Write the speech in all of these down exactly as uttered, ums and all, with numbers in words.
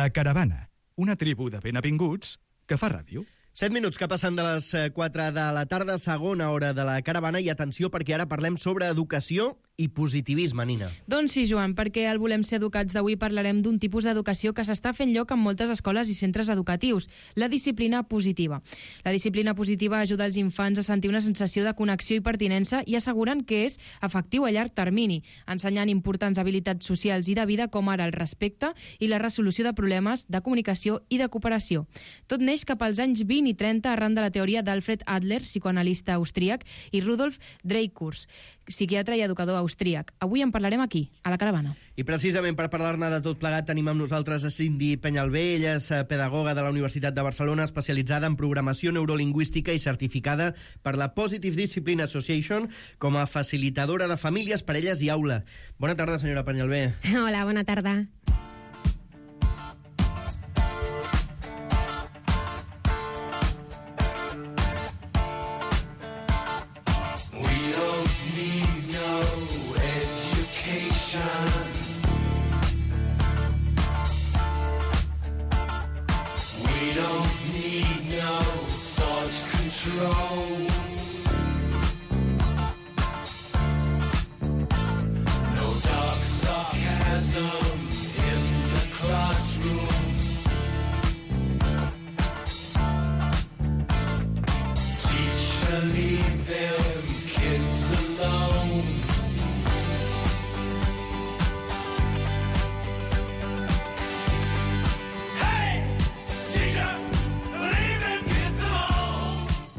La Caravana, una tribu de benvinguts que fa ràdio. Set minuts que passen de les quatre de la tarda, segona hora de la Caravana, i atenció perquè ara parlem sobre educació i positivisme, Nina. Doncs sí, Joan, perquè al Volem ser educats d'avui parlarem d'un tipus d'educació que s'està fent lloc en moltes escoles i centres educatius, la disciplina positiva. La disciplina positiva ajuda els infants a sentir una sensació de connexió i pertinença i asseguren que és efectiu a llarg termini, ensenyant importants habilitats socials i de vida com ara el respecte i la resolució de problemes, de comunicació i de cooperació. Tot neix cap als anys vint i trenta arran de la teoria d'Alfred Adler, psicoanalista austríac, i Rudolf Dreikurs, psiquiatre i educador austríac. Avui en parlarem aquí, a la Caravana. I precisament per parlar-ne de tot plegat tenim amb nosaltres a Cindy Peñalbé. Ella és pedagoga de la Universitat de Barcelona, especialitzada en programació neurolingüística i certificada per la Positive Discipline Association com a facilitadora de famílies, parelles i aula. Bona tarda, senyora Peñalbé. Hola, bona tarda.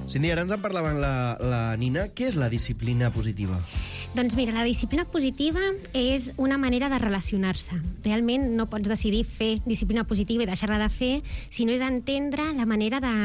Cindy, ara ens en parlaven la, la Nina. Què és la disciplina positiva? Doncs mira, la disciplina positiva és una manera de relacionar-se. Realment no pots decidir fer disciplina positiva i deixar-la de fer, sinó és entendre la manera de,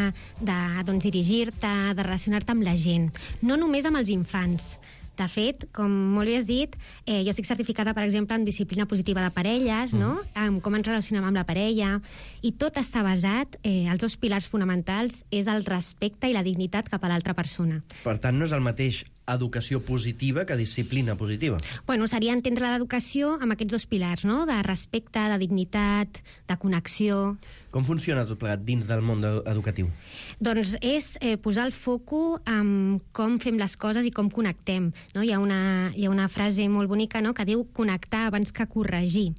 de doncs, dirigir-te, de relacionar-te amb la gent. No només amb els infants. De fet, com molt bé has dit, eh, jo estic certificada, per exemple, en disciplina positiva de parelles, mm. no? En com ens relacionem amb la parella, i tot està basat, eh, els dos pilars fonamentals és el respecte i la dignitat cap a l'altra persona. Per tant, no és el mateix educació positiva que disciplina positiva. Bueno, seria entendre l'educació amb aquests dos pilars, no? De respecte, de dignitat, de connexió. Com funciona tot plegat dins del món educatiu? Doncs és eh, posar el foco en com fem les coses i com connectem. No? Hi ha una, hi ha una frase molt bonica, no? Que diu connectar abans que corregir.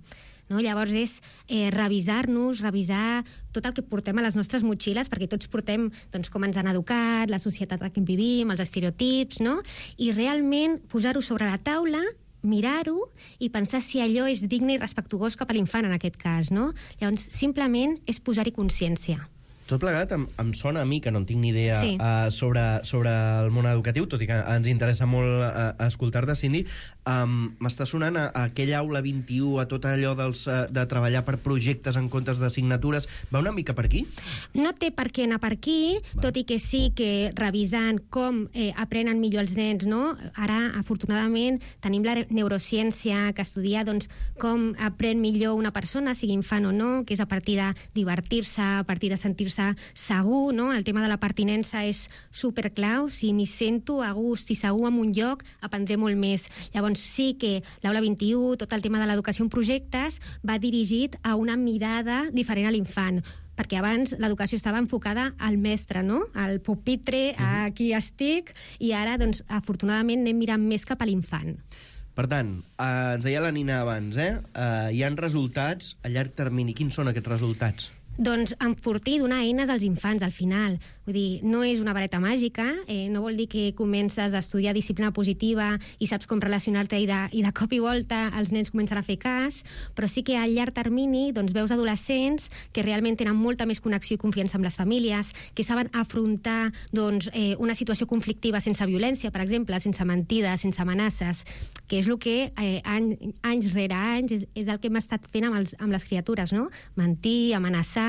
No? Llavors és eh, revisar-nos, revisar tot el que portem a les nostres motxilles, perquè tots portem doncs, com ens han educat, la societat en què vivim, els estereotips, no? I realment posar-ho sobre la taula, mirar-ho i pensar si allò és digne i respectuós cap a l'infant, en aquest cas, no? Llavors, simplement és posar-hi consciència. Tot plegat em, em sona a mi, que no en tinc ni idea, sí. uh, sobre, sobre el món educatiu, tot i que ens interessa molt uh, escoltar-te, Cindy. Um, M'està sonant a, a aquella aula vint-i-u, a tot allò dels, uh, de treballar per projectes en comptes d'assignatures. Va una mica per aquí? No té per què anar per aquí, Va. Tot i que sí que revisant com eh, aprenen millor els nens, no? Ara, afortunadament, tenim la neurociència que estudia doncs, com aprèn millor una persona, sigui infant o no, que és a partir de divertir-se, a partir de sentir-se segur, no? El tema de la pertinença és superclau. Si m'hi sento a gust i segur en un lloc, aprendré molt més. Llavors sí que l'aula vint-i-u, tot el tema de l'educació en projectes, va dirigit a una mirada diferent a l'infant, perquè abans l'educació estava enfocada al mestre, no? Al pupitre, a qui estic, i ara, doncs, afortunadament, anem mirant més cap a l'infant. Per tant, eh, ens deia la Nina abans, eh? eh? Hi ha resultats a llarg termini. Quins són aquests resultats? Doncs enfortir, donar eines als infants al final. Vull dir, no és una vareta màgica, eh, no vol dir que comences a estudiar disciplina positiva i saps com relacionar-te i de, i de cop i volta els nens comencen a fer cas, però sí que a llarg termini doncs, veus adolescents que realment tenen molta més connexió i confiança amb les famílies, que saben afrontar doncs, eh, una situació conflictiva sense violència, per exemple, sense mentides, sense amenaces, que és el que eh, any, anys rere anys és, és el que hem estat fent amb, els, amb les criatures, no? Mentir, amenaçar,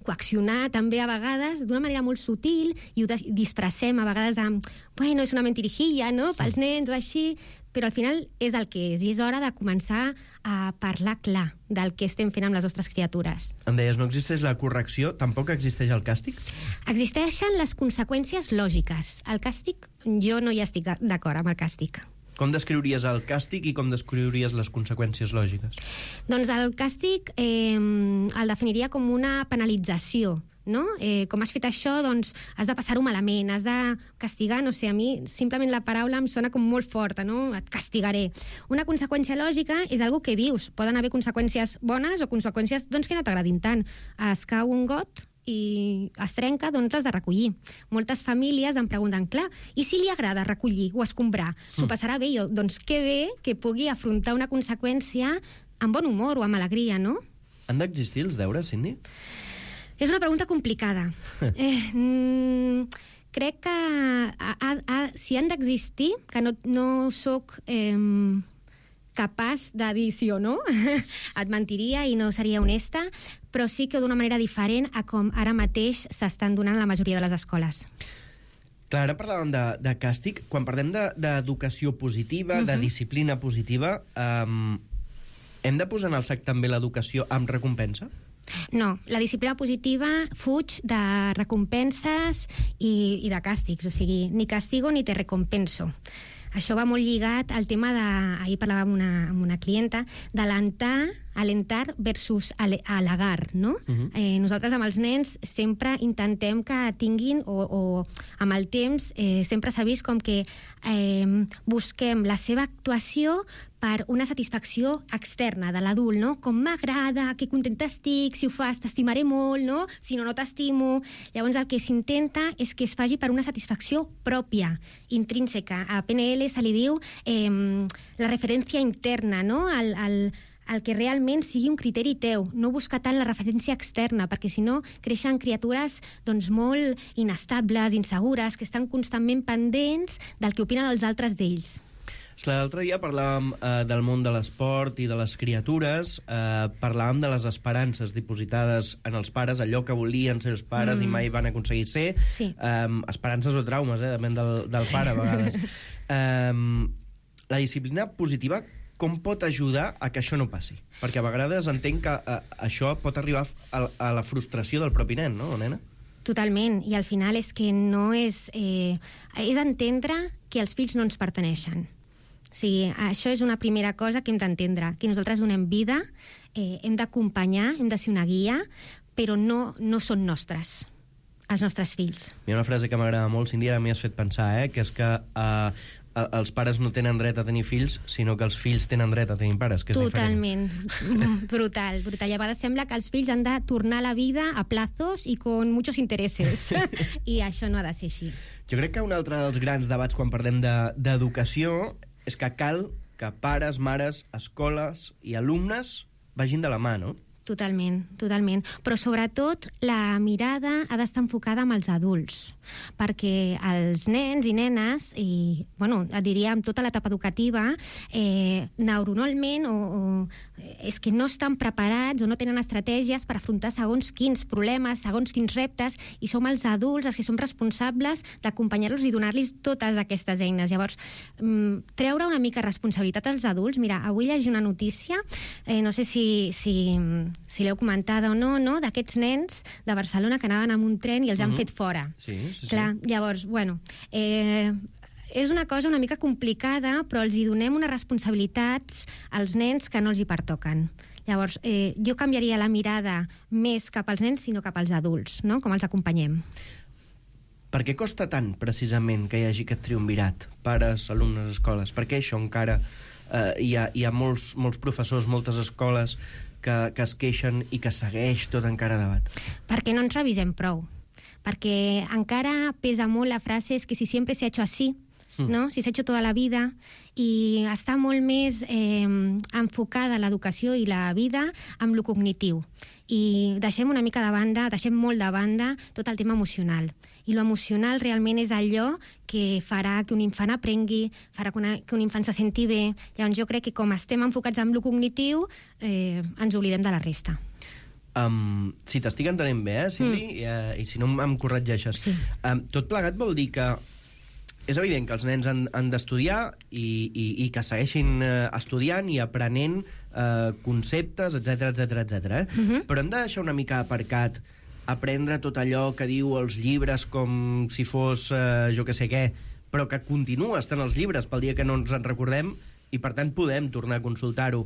coaccionar també a vegades d'una manera molt sutil i ho disfressem a vegades amb, bueno, és una mentirijilla, no?, pels nens o així, però al final és el que és i és hora de començar a parlar clar del que estem fent amb les nostres criatures. Em deies, no existeix la correcció, tampoc existeix el càstig? Existeixen les conseqüències lògiques. El càstig, jo no hi estic d'acord amb el càstig. Com descriuries el càstig i com descriuries les conseqüències lògiques? Doncs el càstig eh, el definiria com una penalització, no? Eh, com has fet això, doncs has de passar-ho malament, has de castigar, no sé, a mi simplement la paraula em sona com molt forta, no? Et castigaré. Una conseqüència lògica és algo que vius. Poden haver conseqüències bones o conseqüències doncs, que no t'agradin tant. Es cau un got i es trenca, doncs l'has de recollir. Moltes famílies em pregunten, clar, i si li agrada recollir o escombrar? S'ho passarà bé? Jo, doncs que bé que pugui afrontar una conseqüència amb bon humor o amb alegria, no? Han d'existir els deures, Cindy? És una pregunta complicada. eh, mm, crec que a, a, a, si han d'existir, que no, no soc eh, capaç de dir sí o no, et mentiria i no seria honesta, però sí que d'una manera diferent a com ara mateix s'estan donant a la majoria de les escoles. Clar, ara parlàvem de, de càstig. Quan parlem d'educació de, positiva, uh-huh. de disciplina positiva, um, hem de posar en el sac també l'educació amb recompensa? No, la disciplina positiva fuig de recompenses i, i de càstigs, o sigui, ni castigo ni te recompenso. Això va molt lligat al tema de... Ahir parlava amb una, amb una clienta, d'alentar, alentar versus halagar, no? Uh-huh. eh, nosaltres amb els nens sempre intentem que tinguin, o, o amb el temps, eh, sempre s'ha vist com que eh, busquem la seva actuació per una satisfacció externa de l'adult, no? Com m'agrada, que contenta estic, si ho fas t'estimaré molt, no? Si no, no t'estimo. Llavors el que s'intenta és que es faci per una satisfacció pròpia, intrínseca. A P N L se li diu eh, la referència interna, no? El, el, el que realment sigui un criteri teu, no buscar tant la referència externa, perquè si no creixen criatures doncs, molt inestables, insegures, que estan constantment pendents del que opinen els altres d'ells. L'altre dia parlàvem eh, del món de l'esport i de les criatures, eh, parlàvem de les esperances dipositades en els pares, allò que volien ser els pares mm. i mai van aconseguir ser, sí. eh, esperances o traumes, eh, depèn del, del sí. pare a vegades. Eh, la disciplina positiva com pot ajudar a que això no passi? Perquè a vegades entenc que eh, això pot arribar a, a la frustració del propi nen, no, nena? Totalment, i al final és que no és... Eh, és entendre que els fills no ens perteneixen. O sigui, això és una primera cosa que hem d'entendre, que nosaltres donem vida, eh, hem d'acompanyar, hem de ser una guia, però no, no són nostres, els nostres fills. Hi ha una frase que m'agrada molt, Cindy, ara m'hi has fet pensar, eh, que és que eh, els pares no tenen dret a tenir fills, sinó que els fills tenen dret a tenir pares, que és Totalment. diferent. Brutal, brutal. I a vegades sembla que els fills han de tornar a la vida a plazos i con muchos intereses. I això no ha de ser així. Jo crec que un altre dels grans debats quan parlem d'educació de, és que cal que pares, mares, escoles i alumnes vagin de la mà, no? Totalment, totalment. Però sobretot la mirada ha d'estar enfocada amb els adults, perquè els nens i nenes, i bueno, et diria amb tota l'etapa educativa, eh, neuronalment o, o és que no estan preparats o no tenen estratègies per afrontar segons quins problemes, segons quins reptes, i som els adults els que som responsables d'acompanyar-los i donar-los totes aquestes eines. Llavors, mm, treure una mica responsabilitat als adults. Mira, avui llegir una notícia, eh, no sé si... si si l'heu comentada o no, no, d'aquests nens de Barcelona que anaven amb un tren i els han uh-huh. fet fora. Sí, sí, Clar, sí. Llavors, bueno, eh, és una cosa una mica complicada, però els hi donem unes responsabilitats als nens que no els hi pertoquen. Llavors, eh, jo canviaria la mirada més cap als nens, sinó cap als adults, no? Com els acompanyem. Per què costa tant, precisament, que hi hagi aquest triumvirat? Pares, alumnes, escoles. Per què això encara eh, hi ha, hi ha molts, molts professors, moltes escoles que, que es queixen i que segueix tot encara debat? Perquè no ens revisem prou. Perquè encara pesa molt la frase és que si sempre s'ha hecho así, mm. ¿no? Si s'ha hecho toda la vida, i està molt més eh, enfocada l'educació i la vida amb lo cognitiu. I deixem una mica de banda, deixem molt de banda tot el tema emocional. I lo emocional realment és allò que farà que un infant aprengui, farà que, una, que un infant se senti bé. Llavors jo crec que com estem enfocats en lo cognitiu, eh, ens oblidem de la resta. Um, si t'estic entenent bé, eh, Cindy, mm. i, uh, i si no em corregeixes, sí. um, tot plegat vol dir que és evident que els nens han, han d'estudiar i, i, i que segueixin uh, estudiant i aprenent uh, conceptes, etcètera, etcètera, etcètera. Eh? Mm-hmm. Però hem de deixar una mica aparcat aprendre tot allò que diu els llibres com si fos uh, jo que sé què, però que continua estant als llibres pel dia que no ens en recordem i, per tant, podem tornar a consultar-ho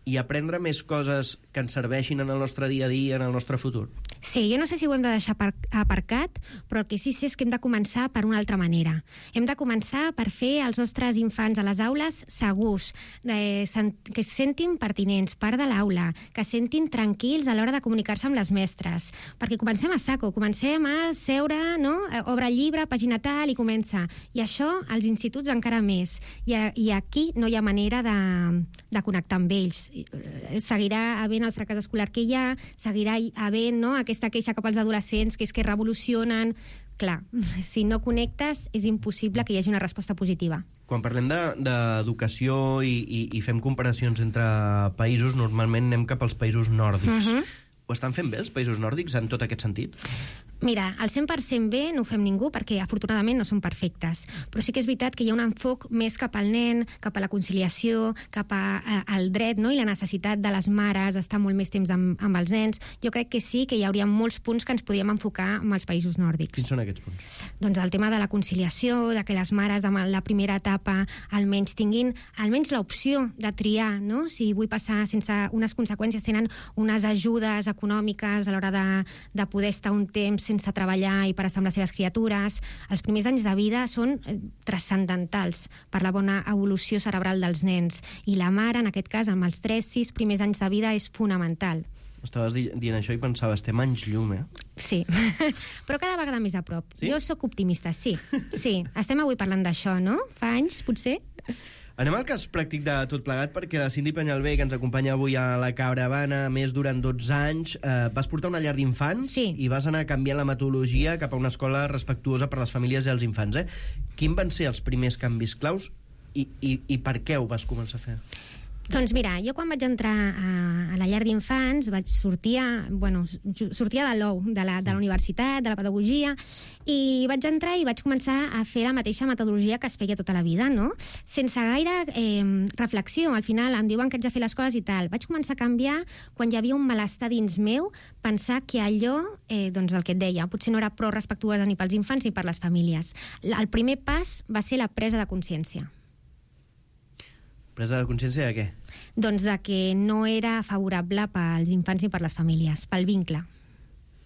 i aprendre més coses que ens serveixin en el nostre dia a dia, en el nostre futur. Sí, jo no sé si ho hem de deixar aparcat, però el que sí sé és que hem de començar per una altra manera. Hem de començar per fer els nostres infants a les aules segurs, eh, que es sentin pertinents, part de l'aula, que es sentin tranquils a l'hora de comunicar-se amb les mestres. Perquè comencem a saco, comencem a seure, no? Obre el llibre, pàgina tal, i comença. I això, als instituts encara més. I, a, i aquí no hi ha manera de, de connectar amb ells. Seguirà havent el fracàs escolar que hi ha, seguirà havent, no?, aquesta queixa cap als adolescents, que és que revolucionen. Clar, si no connectes és impossible que hi hagi una resposta positiva. Quan parlem d'educació de, i, i, i fem comparacions entre països, normalment anem cap als països nòrdics. Uh-huh. Ho estan fent bé els països nòrdics en tot aquest sentit? Mira, el cent per cent bé no ho fem ningú perquè afortunadament no són perfectes, però sí que és veritat que hi ha un enfoc més cap al nen, cap a la conciliació, cap a, a, al dret, no?, i la necessitat de les mares estar molt més temps amb, amb els nens. Jo crec que sí que hi hauria molts punts que ens podríem enfocar amb els països nòrdics. Quins són aquests punts? Doncs el tema de la conciliació, de que les mares en la primera etapa almenys tinguin almenys l'opció de triar, no?, si vull passar sense unes conseqüències, tenen unes ajudes econòmiques a l'hora de, de poder estar un temps sense treballar i per estar amb les seves criatures. Els primers anys de vida són transcendentals per la bona evolució cerebral dels nens. I la mare, en aquest cas, amb els tres sis primers anys de vida, és fonamental. Estaves dient això i pensava, estem anys llum, eh? Sí, però cada vegada més a prop. Sí? Jo sóc optimista, sí. Sí, estem avui parlant d'això, no? Fa anys, potser? Anem al cas pràctic de tot plegat, perquè la Cindy Penyalbé, que ens acompanya avui a la Caravana, més durant dotze anys, eh, vas portar una llar d'infants, sí, i vas anar canviant la metodologia cap a una escola respectuosa per les famílies i els infants. Eh? Quins van ser els primers canvis claus i, i, i per què ho vas començar a fer? Doncs mira, jo quan vaig entrar a, a la llar d'infants vaig sortir, a, bueno, sortia de l'O U, de la, de la universitat, de la pedagogia, i vaig entrar i vaig començar a fer la mateixa metodologia que es feia tota la vida, no? Sense gaire eh, reflexió. Al final em diuen que haig de fer les coses i tal. Vaig començar a canviar quan hi havia un malestar dins meu, pensar que allò, eh, doncs el que et deia, potser no era prou respectuosa ni pels infants ni per les famílies. El primer pas va ser la presa de consciència. Presa de consciència de què? Doncs de que no era favorable pels infants i per les famílies, pel vincle.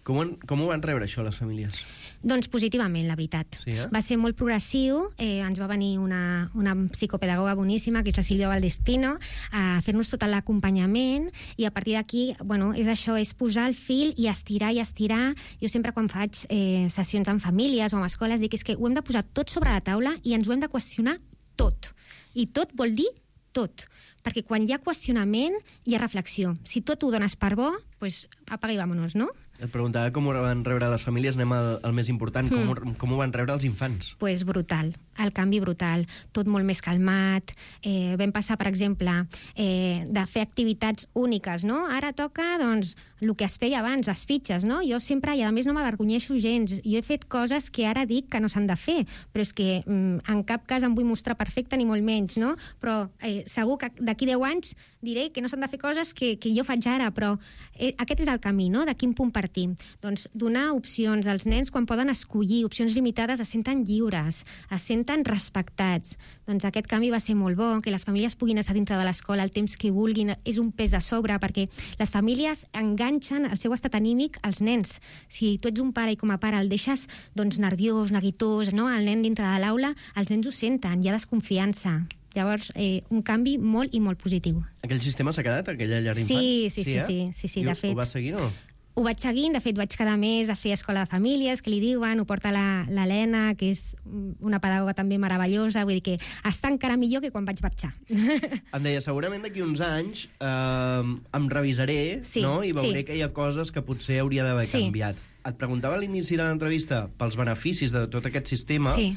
Com, han, com ho van rebre això, les famílies? Doncs positivament, la veritat. Sí, eh? Va ser molt progressiu, eh, ens va venir una, una psicopedagoga boníssima, que és la Sílvia Valdespino, a fer-nos tot l'acompanyament, i a partir d'aquí, bueno, és això, és posar el fil i estirar i estirar. Jo sempre quan faig eh, sessions amb famílies o amb escoles dic és que ho hem de posar tot sobre la taula i ens ho hem de qüestionar tot. I tot vol dir tot, perquè quan hi ha qüestionament hi ha reflexió. Si tot ho dones per bo, doncs apaga i vámonos, no? Et preguntava com ho van rebre les famílies, anem al, al més important, com, mm. com ho van rebre els infants? Doncs pues brutal, el canvi brutal, tot molt més calmat. Eh, vam passar, per exemple, eh, de fer activitats úniques, no? Ara toca, doncs, el que es feia abans, les fitxes, no? Jo sempre, i a més no m'avergonyeixo gens, jo he fet coses que ara dic que no s'han de fer, però és que mm, en cap cas em vull mostrar perfecta ni molt menys, no? Però eh, segur que d'aquí deu anys diré que no s'han de fer coses que, que jo faig ara, però eh, aquest és el camí, no? De quin punt partim? Doncs donar opcions als nens quan poden escollir, opcions limitades, es senten lliures, es senten respectats. Doncs aquest canvi va ser molt bo, que les famílies puguin estar dintre de l'escola el temps que vulguin, és un pes a sobre, perquè les famílies enganxen el seu estat anímic als nens. Si tu ets un pare i com a pare el deixes doncs, nerviós, neguitós, no? El nen dintre de l'aula, els nens ho senten, hi ha desconfiança. Llavors, eh, un canvi molt i molt positiu. Aquell sistema s'ha quedat, aquella llar d'infants? Sí, sí, sí, eh? sí, sí, sí, I de fet. Ho vas seguir, no? Ho vaig seguint, de fet vaig cada mes a fer escola de famílies, que li diuen, ho porta l'Helena, que és una pedagoga també meravellosa, vull dir que està encara millor que quan vaig marxar. Em deia, segurament d'aquí uns anys eh, em revisaré, sí, no? I veuré sí. que hi ha coses que potser hauria d'haver sí. canviat. Et preguntava a l'inici de l'entrevista pels beneficis de tot aquest sistema. Sí.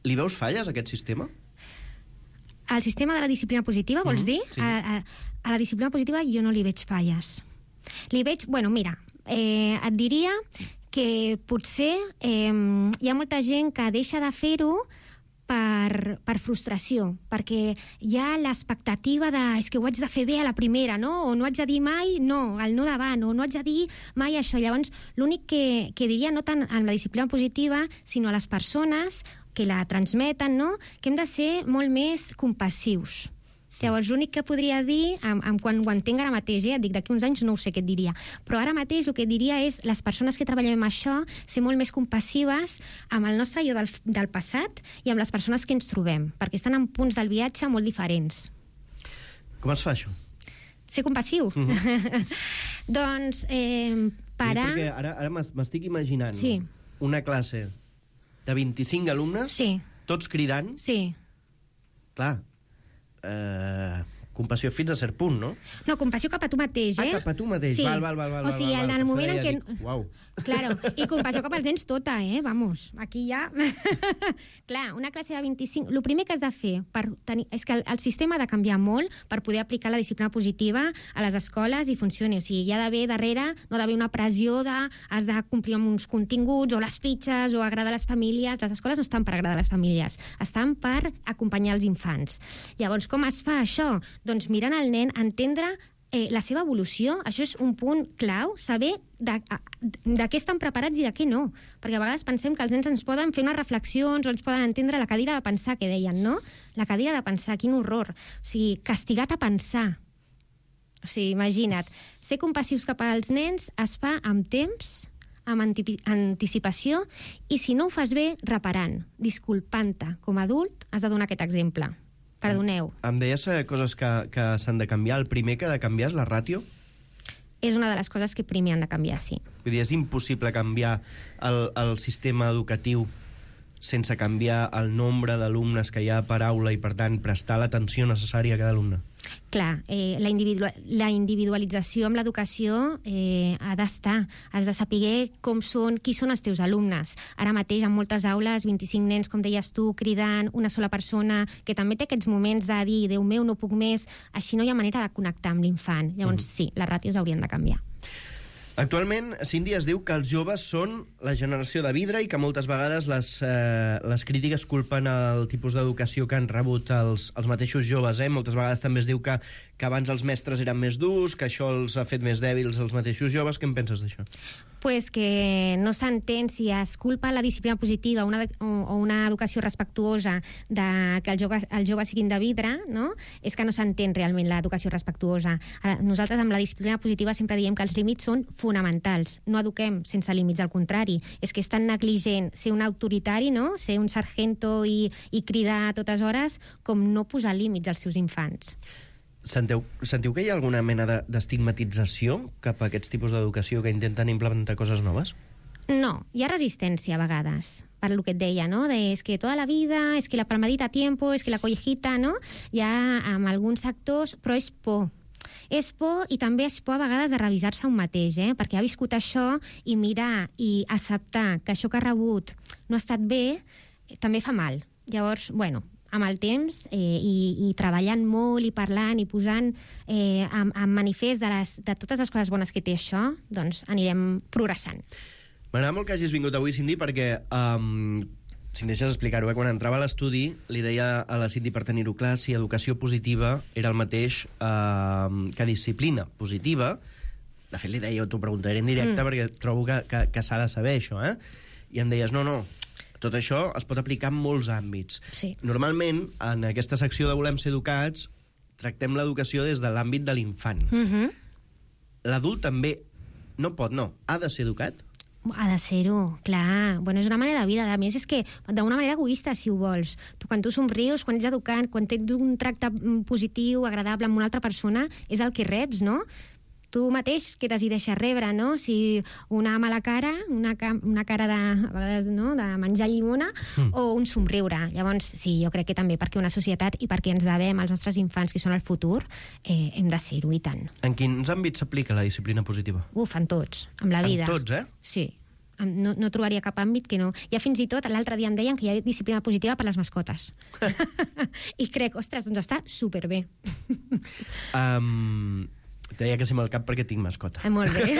Li veus falles, a aquest sistema? Al sistema de la disciplina positiva, vols mm, dir? Sí. A, a, a la disciplina positiva jo no li veig falles. Li veig, bueno, mira, eh, et diria que potser eh, hi ha molta gent que deixa de fer-ho per, per frustració, perquè hi ha l'expectativa de és que ho haig de fer bé a la primera, no? O no haig de dir mai no, el no davant, o no haig de dir mai això. Llavors, l'únic que, que diria, no tant en la disciplina positiva, sinó a les persones que la transmeten, no? Que hem de ser molt més compassius. Llavors, l'únic que podria dir, amb, amb quan ho entenc ara mateix, eh, et dic, d'aquí uns anys no ho sé què et diria, però ara mateix el que et diria és les persones que treballem amb això, ser molt més compassives amb el nostre jo del, del passat i amb les persones que ens trobem, perquè estan en punts del viatge molt diferents. Com es fa això? Ser compassiu? Mm-hmm. Doncs, eh, parar... Sí, perquè ara, ara m'estic imaginant sí. una classe de vint-i-cinc alumnes, sí. tots cridant. Sí. Clar, eh, compassió fins a cert punt, no? No, compassió cap a tu mateix, eh? Ah, cap a tu mateix, sí. val, val, val, val. O sigui, val, val, en el val, moment en què... Dic, uau. Claro, i compassió cap als nens tota, eh? Vamos, aquí ja... Clar, una classe de vint-i-cinc... El primer que has de fer per tenir... és que el, el sistema ha de canviar molt per poder aplicar la disciplina positiva a les escoles i funcioni. O sigui, hi ha d'haver darrere, no ha d'haver una pressió de has de complir amb uns continguts o les fitxes o agradar a les famílies. Les escoles no estan per agradar a les famílies, estan per acompanyar els infants. Llavors, com es fa això? Doncs mirant el nen, entendre eh, la seva evolució. Això és un punt clau, saber de, de què estan preparats i de què no. Perquè a vegades pensem que els nens ens poden fer unes reflexions o ens poden entendre la cadira de pensar, que deien, no? La cadira de pensar, quin horror. O sigui, castigat a pensar. O sigui, imagina't. Ser compassius cap als nens es fa amb temps, amb anticipació, i si no ho fas bé, reparant, disculpant-te. Com a adult, has de donar aquest exemple. Perdoneu. Em deies eh, coses que, que s'han de canviar. El primer que ha de canviar és la ràtio? És una de les coses que primer han de canviar, sí. Vull dir, és impossible canviar el, el sistema educatiu sense canviar el nombre d'alumnes que hi ha per aula i, per tant, prestar l'atenció necessària a cada alumne. Clar, eh, la, individu la individualització amb l'educació eh, ha d'estar. Has de saber com són, qui són els teus alumnes. Ara mateix, en moltes aules, vint-i-cinc nens, com deies tu, cridant, una sola persona, que també té aquests moments de dir, Déu meu, no puc més, així no hi ha manera de connectar amb l'infant. Llavors, mm. sí, les ràtios haurien de canviar. Actualment, Cindy, es diu que els joves són la generació de vidre i que moltes vegades les, eh, les crítiques culpen el tipus d'educació que han rebut els, els mateixos joves. Eh? Moltes vegades també es diu que, que abans els mestres eren més durs, que això els ha fet més dèbils els mateixos joves. Què en penses d'això? Pues que no s'entén si es culpa la disciplina positiva una, o una educació respectuosa de que els joves, els joves siguin de vidre, no? És que no s'entén realment l'educació respectuosa. Nosaltres amb la disciplina positiva sempre diem que els límits són fonamentals. No eduquem sense límits, al contrari. És que és tan negligent ser un autoritari, no? Ser un sargento i, i cridar a totes hores, com no posar límits als seus infants. Sentiu, sentiu que hi ha alguna mena d'estigmatització cap a aquests tipus d'educació que intenten implementar coses noves? No, hi ha resistència a vegades, per lo que et deia, no? De, és que tota la vida, és que la palmadita a tiempo, és que la collejita, no? Hi ha amb alguns sectors, però és por. És por, i també és por a vegades de revisar-se un mateix, eh? Perquè ha viscut això i mirar i acceptar que això que ha rebut no ha estat bé, també fa mal. Llavors, bueno, amb el temps eh, i, i treballant molt i parlant i posant eh, en, en manifest de, les, de totes les coses bones que té això, doncs anirem progressant. M'agrada molt que hagis vingut avui, Cindy, perquè, um, si em deixes explicar-ho, eh, quan entrava a l'estudi, li deia a la Cindy, per tenir-ho clar, si educació positiva era el mateix uh, que disciplina positiva. De fet, li deia, t'ho preguntaré en directe, mm. perquè trobo que, que, que s'ha de saber això, eh? I em deies, no, no, tot això es pot aplicar en molts àmbits. Sí. Normalment, en aquesta secció de Volem ser educats, tractem l'educació des de l'àmbit de l'infant. Mm-hmm. L'adult també no pot, no, ha de ser educat? Ha de ser-ho, clar. Bueno, és una manera de vida. A més, és que d'una manera egoista, si ho vols. Tu, quan tu somrius, quan ets educant, quan tens un tracte positiu, agradable amb una altra persona, és el que reps, no? Tu mateix que decideixes rebre, no? Si una mala cara, una, ca una cara de, a vegades, no? de menjar llimona, mm. o un somriure. Llavors, sí, jo crec que també perquè una societat i perquè ens devem als nostres infants, que són el futur, eh, hem de ser-ho, i tant. En quins àmbits s'aplica la disciplina positiva? Uf, en tots, amb la vida. En tots, eh? Sí. No, no trobaria cap àmbit que no. Ja fins i tot, l'altre dia em deien que hi ha disciplina positiva per les mascotes. I crec, ostres, doncs està superbé. um, Deia que sí amb el cap perquè tinc mascota. Ah, molt bé.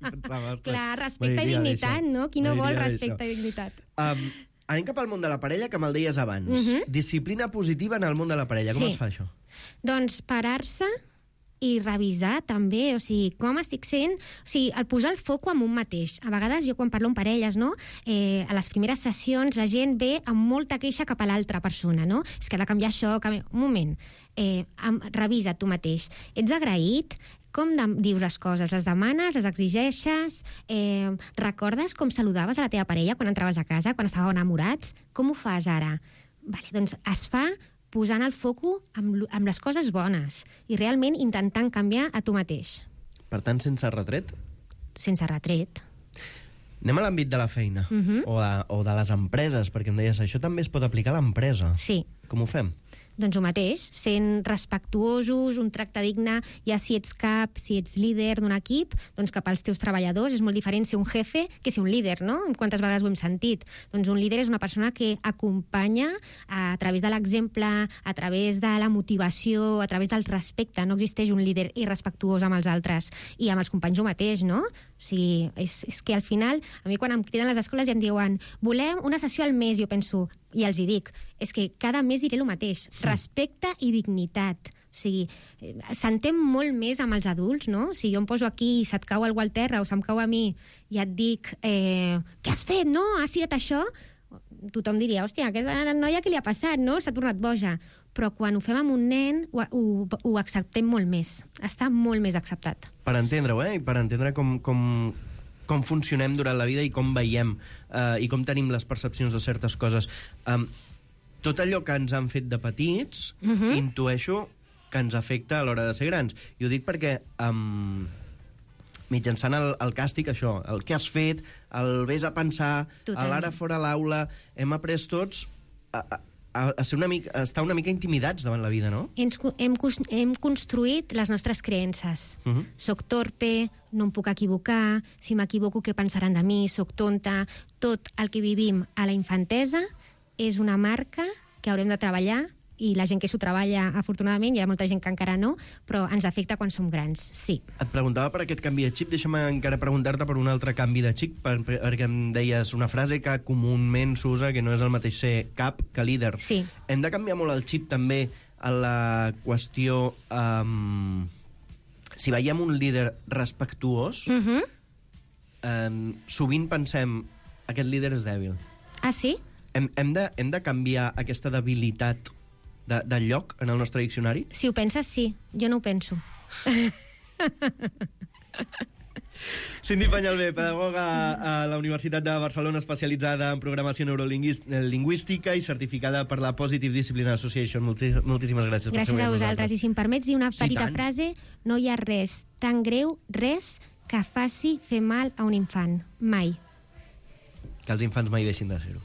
Pensava, clar, respecte i dignitat, no? Qui no vol respecte i dignitat? Um, anem cap al món de la parella, que me'l deies abans. Uh-huh. Disciplina positiva en el món de la parella. Com sí. es fa això? Doncs parar-se i revisar també, o sigui, com estic sent, o sigui, el posar el foco en un mateix. A vegades, jo quan parlo amb parelles, no, eh, a les primeres sessions la gent ve amb molta queixa cap a l'altra persona, no? És que ha de canviar això, canviar... Un moment, eh, revisa tu mateix. Ets agraït? Com de, dius les coses? Les demanes? Les exigeixes? Eh, recordes com saludaves a la teva parella quan entraves a casa, quan estàveu enamorats? Com ho fas ara? Vale, doncs es fa posant el foco amb, amb les coses bones i realment intentant canviar a tu mateix. Per tant, sense retret? Sense retret. Anem a l'àmbit de la feina, Uh-huh. o, de, o de les empreses, perquè em deies, això també es pot aplicar a l'empresa. Sí. Com ho fem? Doncs el mateix, sent respectuosos, un tracte digne, ja si ets cap, si ets líder d'un equip, doncs cap als teus treballadors. És molt diferent ser un jefe que ser un líder, no? Quantes vegades ho hem sentit? Doncs un líder és una persona que acompanya a través de l'exemple, a través de la motivació, a través del respecte. No existeix un líder irrespectuós amb els altres. I amb els companys ho mateix, no? O sigui, és, és que al final, a mi quan em criden les escoles i em diuen volem una sessió al mes, jo penso, i els hi dic, és que cada mes diré el mateix, respecte i dignitat. O sigui, s'entén molt més amb els adults, no? Si jo em poso aquí i se't cau algú al terra o se'm cau a mi i et dic eh, què has fet, no? Has tirat això? Tothom diria, hòstia, aquesta noia què li ha passat, no? S'ha tornat boja. Però quan ho fem amb un nen ho, ho, ho acceptem molt més. Està molt més acceptat. Per entendre-ho, eh? I per entendre com, com, com funcionem durant la vida i com veiem eh, i com tenim les percepcions de certes coses. Um, tot allò que ens han fet de petits, Mhm. intueixo que ens afecta a l'hora de ser grans. I ho dic perquè um, mitjançant el, el càstig, això, el que has fet, el vés a pensar, Totalment. l'ara fora l'aula, hem après tots a, a, a, ser una mica, a estar una mica intimidats davant la vida, no? Ens, hem, cos- hem construït les nostres creences. Uh -huh. Soc torpe, no em puc equivocar, si m'equivoco què pensaran de mi, soc tonta... Tot el que vivim a la infantesa és una marca que haurem de treballar i la gent que s'ho treballa, afortunadament, hi ha molta gent que encara no, però ens afecta quan som grans, sí. Et preguntava per aquest canvi de xip, deixa'm encara preguntar-te per un altre canvi de xip, per, per, perquè em deies una frase que comúment s'usa, que no és el mateix ser cap que líder. Sí. Hem de canviar molt el xip també a la qüestió... Um, si veiem un líder respectuós, Uh -huh. um, sovint pensem aquest líder és dèbil. Ah, sí? Hem, hem, de, hem de canviar aquesta debilitat de, de lloc en el nostre diccionari? Si ho penses, sí. Jo no ho penso. Cindy Peñalver, pedagoga a la Universitat de Barcelona, especialitzada en programació neurolingüística i certificada per la Positive Discipline Association. Moltíssimes, moltíssimes gràcies. per ser Gràcies a amb vosaltres. nosaltres. I si em permets dir una Sí, petita tant. frase, no hi ha res tan greu, res, que faci fer mal a un infant. Mai. Que els infants mai deixin de ser-ho.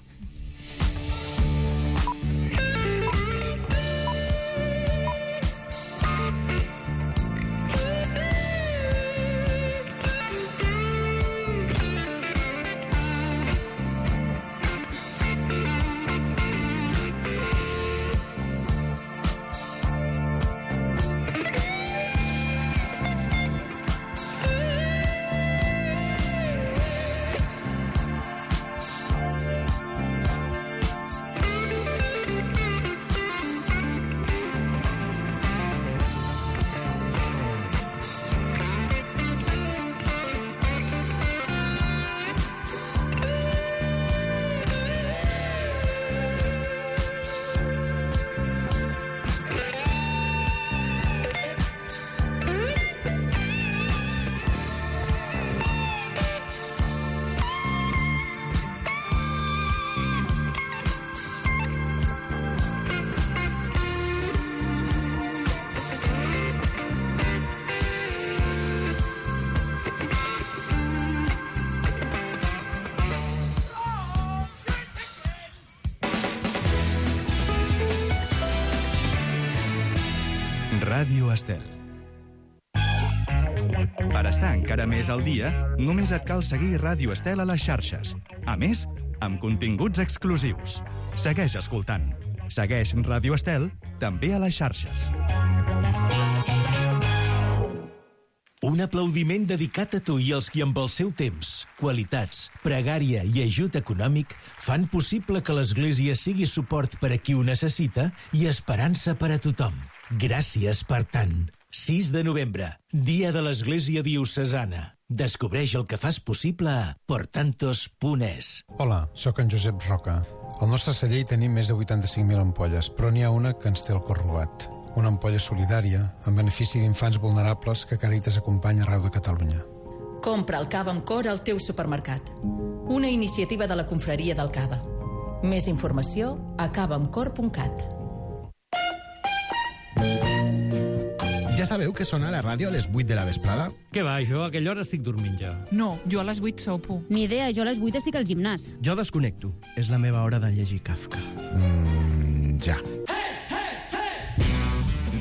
Ràdio Estel. Per estar encara més al dia, només et cal seguir Ràdio Estel a les xarxes. A més, amb continguts exclusius. Segueix escoltant. Segueix Ràdio Estel també a les xarxes. Un aplaudiment dedicat a tu i als qui amb el seu temps, qualitats, pregària i ajut econòmic fan possible que l'Església sigui suport per a qui ho necessita i esperança per a tothom. Gràcies per tant. sis de novembre, Dia de l'Església Diocesana. Descobreix el que fas possible a portantos punt es. Hola, sóc en Josep Roca. Al nostre celler hi tenim més de vuitanta-cinc mil ampolles, però n'hi ha una que ens té el cor robat. Una ampolla solidària, en benefici d'infants vulnerables que Càritas acompanya arreu de Catalunya. Compra el cava amb cor al teu supermercat. Una iniciativa de la Confraria del Cava. Més informació a cava amb cor punt cat. Ja sabeu que sona la ràdio a les vuit de la vesprada? Què va, jo a aquella hora estic dormint ja. No, jo a les vuit sopo. Ni idea, jo a les vuit estic al gimnàs. Jo desconnecto. És la meva hora de llegir Kafka. Mmm, ja.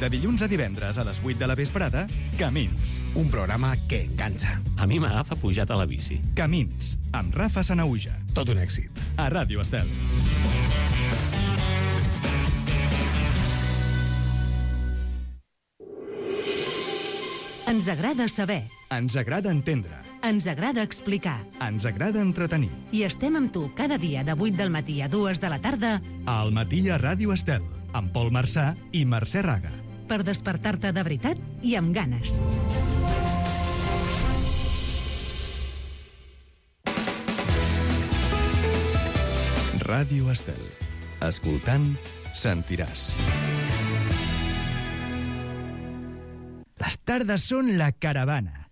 De dilluns a divendres a les vuit de la vesprada, Camins. Un programa que enganxa. A mi m'agafa pujat a la bici. Camins, amb Rafa Sanauja. Tot un èxit. A Ràdio Estel. Ens agrada saber. Ens agrada entendre. Ens agrada explicar. Ens agrada entretenir. I estem amb tu cada dia de vuit del matí a dues de la tarda Al matí a Ràdio Estel, amb Pol Marçà i Mercè Raga. per despertar-te de veritat i amb ganes. Ràdio Estel. Escoltant, sentiràs. Les tardes són la caravana.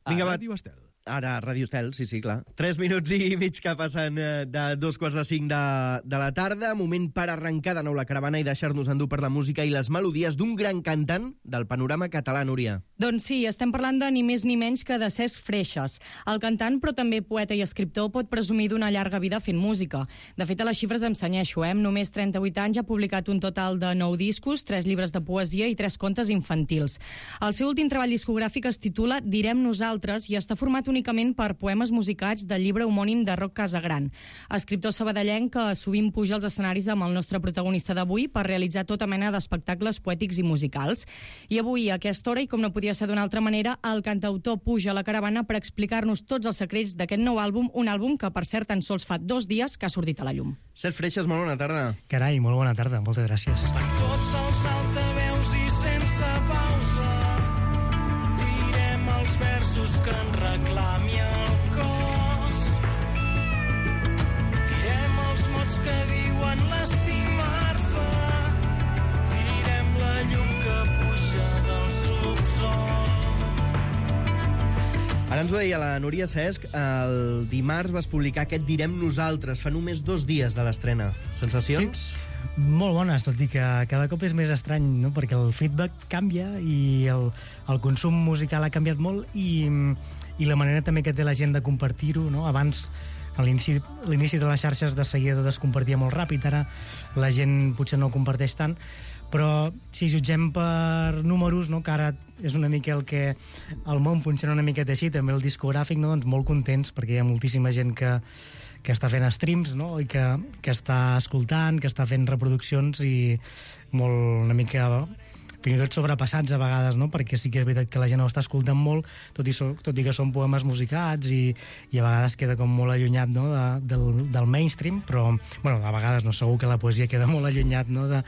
Vinga, a va. Ràdio Estel. Ara, Ràdio Estel, sí, sí, clar. Tres minuts i mig que passen eh, de dos quarts de cinc de, de la tarda. Moment per arrencar de nou la caravana i deixar-nos endur per la música i les melodies d'un gran cantant del panorama català, Núria. Doncs sí, estem parlant de ni més ni menys que de Cesc Freixas. El cantant, però també poeta i escriptor, pot presumir d'una llarga vida fent música. De fet, a les xifres em senyeixo, eh? Amb només trenta-vuit anys ha publicat un total de nou discos, tres llibres de poesia i tres contes infantils. El seu últim treball discogràfic es titula Direm nosaltres i està format únicament per poemes musicats del llibre homònim de Roc Casagran. Escriptor sabadellenc que sovint puja als escenaris amb el nostre protagonista d'avui per realitzar tota mena d'espectacles poètics i musicals. I avui, a aquesta hora, i com no podia ser d'una altra manera, el cantautor puja a la caravana per explicar-nos tots els secrets d'aquest nou àlbum, un àlbum que, per cert, tan sols fa dos dies que ha sortit a la llum. Cesc Freixas, molt bona tarda. Carai, molt bona tarda, moltes gràcies. Per tots els altaveus i sense pausa direm els versos que en reclami el cos. Direm els mots que diuen l'estimar-se. Direm la llum que puja del subsol. Ara ens ho deia la Núria Cesc, el dimarts vas publicar aquest Direm nosaltres, fa només dos dies de l'estrena. Sensacions? Sí. Molt bones, tot i que cada cop és més estrany, no? Perquè el feedback canvia i el, el consum musical ha canviat molt i, i la manera també que té la gent de compartir-ho, no? Abans, a l'inici de les xarxes de seguida es compartia molt ràpid, ara la gent potser no ho comparteix tant, però si jutgem per números, no? Que ara és una mica el que el món funciona una miqueta així, també el discogràfic, no? Doncs molt contents, perquè hi ha moltíssima gent que que està fent streams, no? I que, que està escoltant, que està fent reproduccions i molt una mica fins i tot sobrepassats a vegades, no? Perquè sí que és veritat que la gent ho està escoltant molt, tot i, so, tot i que són poemes musicats i, i a vegades queda com molt allunyat, no? de, del, del mainstream, però bueno, a vegades no, segur que la poesia queda molt allunyat, no? de,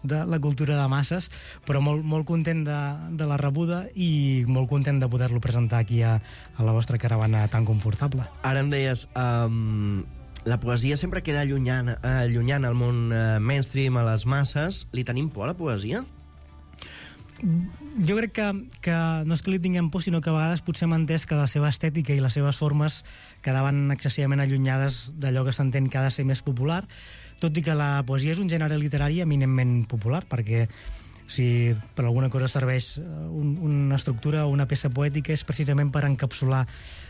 de la cultura de masses, però molt, molt content de, de la rebuda i molt content de poder-lo presentar aquí a, a la vostra caravana tan confortable. Ara em deies, um, la poesia sempre queda allunyant, allunyant al món uh, mainstream, a les masses. Li tenim por a la poesia? Jo crec que, que no és que li tinguem por, sinó que a vegades potser hem entès que la seva estètica i les seves formes quedaven excessivament allunyades d'allò que s'entén que ha de ser més popular, tot i que la poesia és un gènere literari eminentment popular, perquè si per alguna cosa serveix un, una estructura o una peça poètica és precisament per encapsular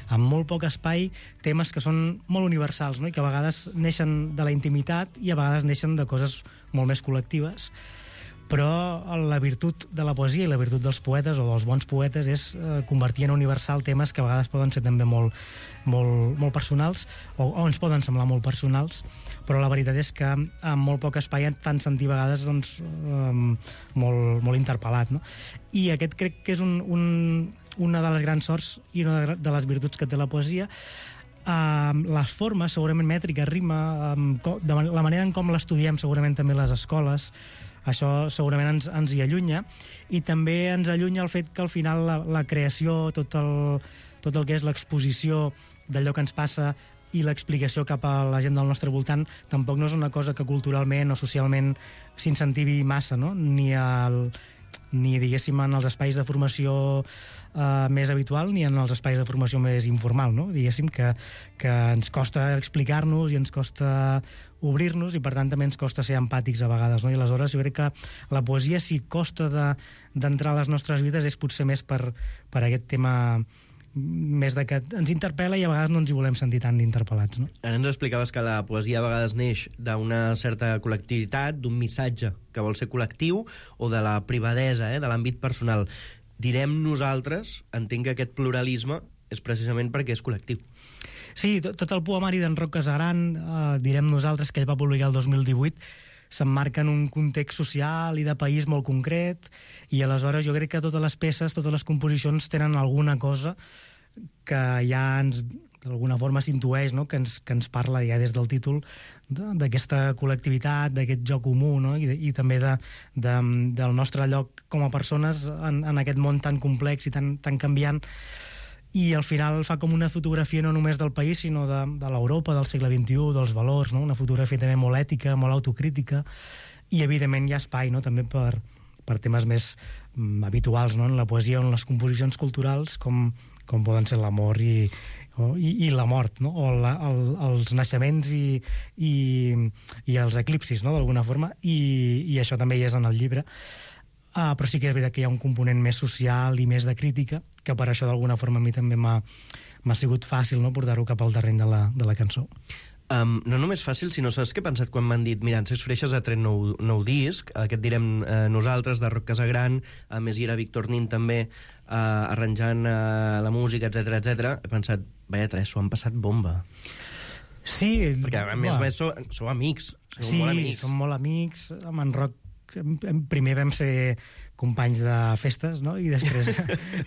en molt poc espai temes que són molt universals, no? I que a vegades neixen de la intimitat i a vegades neixen de coses molt més col·lectives. Però la virtut de la poesia i la virtut dels poetes o dels bons poetes és eh, convertir en universal temes que a vegades poden ser també molt, molt, molt personals o, o ens poden semblar molt personals, però la veritat és que en molt poc espai et fan sentir a vegades doncs, eh, molt, molt interpel·lat, no? I aquest crec que és un, un, una de les grans sorts i una de les virtuts que té la poesia. Uh, les formes, segurament mètrica, rima, um, de la manera en com l'estudiem segurament també a les escoles, això segurament ens, ens hi allunya, i també ens allunya el fet que al final la, la creació, tot el, tot el que és l'exposició d'allò que ens passa i l'explicació cap a la gent del nostre voltant tampoc no és una cosa que culturalment o socialment s'incentivi massa, no? Ni, el, ni diguéssim en els espais de formació eh, més habitual ni en els espais de formació més informal, no? Diguéssim que, que ens costa explicar-nos i ens costa obrir-nos i per tant també ens costa ser empàtics a vegades, no? I aleshores jo crec que la poesia, si costa de, d'entrar a les nostres vides, és potser més per, per aquest tema més de que ens interpel·la i a vegades no ens hi volem sentir tan interpel·lats, no? Ara ens explicaves que la poesia a vegades neix d'una certa col·lectivitat, d'un missatge que vol ser col·lectiu, o de la privadesa, eh, de l'àmbit personal. Direm nosaltres, entenc que aquest pluralisme és precisament perquè és col·lectiu. Sí, tot, tot el poemari d'en Roc Casagran, eh, direm nosaltres, que ell va publicar el dos mil divuit, s'emmarca en un context social i de país molt concret, i aleshores jo crec que totes les peces, totes les composicions tenen alguna cosa que ja ens, d'alguna forma s'intueix, no? que, ens, que ens parla ja des del títol d'aquesta col·lectivitat, d'aquest joc comú, no? I, i també de, de, del nostre lloc com a persones en, en aquest món tan complex i tan, tan canviant. I al final fa com una fotografia no només del país, sinó de, de l'Europa del segle vint-i-u, dels valors, no? Una fotografia també molt ètica, molt autocrítica, i evidentment hi ha espai, no? També per, per temes més mm, habituals, no? En la poesia o en les composicions culturals, com, com poden ser l'amor i, o, i, i la mort, no? O la, el, els naixements i, i, i els eclipsis, no? D'alguna forma, i, i això també hi és en el llibre. Uh, però sí que és veritat que hi ha un component més social i més de crítica, que per això d'alguna forma a mi també m'ha, m'ha sigut fàcil, no? Portar-ho cap al terreny de la, de la cançó. Um, no només fàcil, sinó saps què he pensat quan m'han dit mira, en Sex Freixes ha tret nou, nou disc, aquest direm eh, nosaltres, de Roc Casagran, a més hi era Víctor Nin també eh, arranjant eh, la música, etcètera, etcètera. He pensat, vaja, tres, s'ho han passat bomba. Sí. Perquè a més a més sou, sou amics, sou sí, molt amics. som molt amics, amb en Roc primer vam ser companys de festes, no? I després,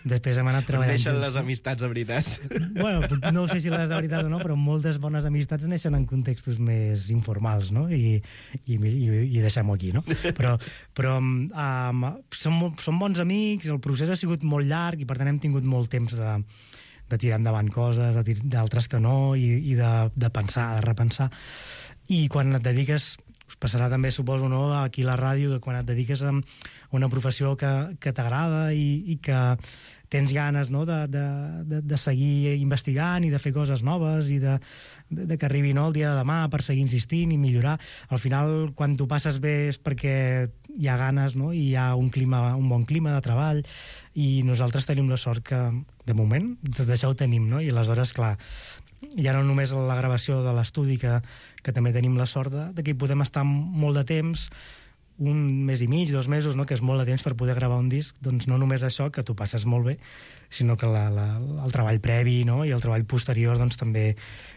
després hem anat treballant Neixen junts, les no? amistats de veritat. Bueno, no sé si les de veritat o no, però moltes bones amistats neixen en contextos més informals, no? I, i, i, i deixem-ho aquí, no? Però, però um, som, som bons amics, el procés ha sigut molt llarg i per tant hem tingut molt temps de, de tirar endavant coses, d'altres que no, i, i de, de pensar, de repensar. I quan et dediques... Us passarà també, suposo, no, aquí a la ràdio, que quan et dediques a una professió que, que t'agrada i, i que tens ganes, no, de, de, de, de seguir investigant i de fer coses noves i de, de, de que arribi, no, el dia de demà per seguir insistint i millorar. Al final, quan t'ho passes bé és perquè hi ha ganes, no, i hi ha un clima, un bon clima de treball, i nosaltres tenim la sort que, de moment, tot això ho tenim, no? I aleshores, clar, ja no només la gravació de l'estudi, que, que també tenim la sort de, de que hi podem estar molt de temps, un mes i mig, dos mesos, no? Que és molt de temps per poder gravar un disc, doncs no només això, que t'ho passes molt bé, sinó que la, la, el treball previ, no? I el treball posterior doncs també,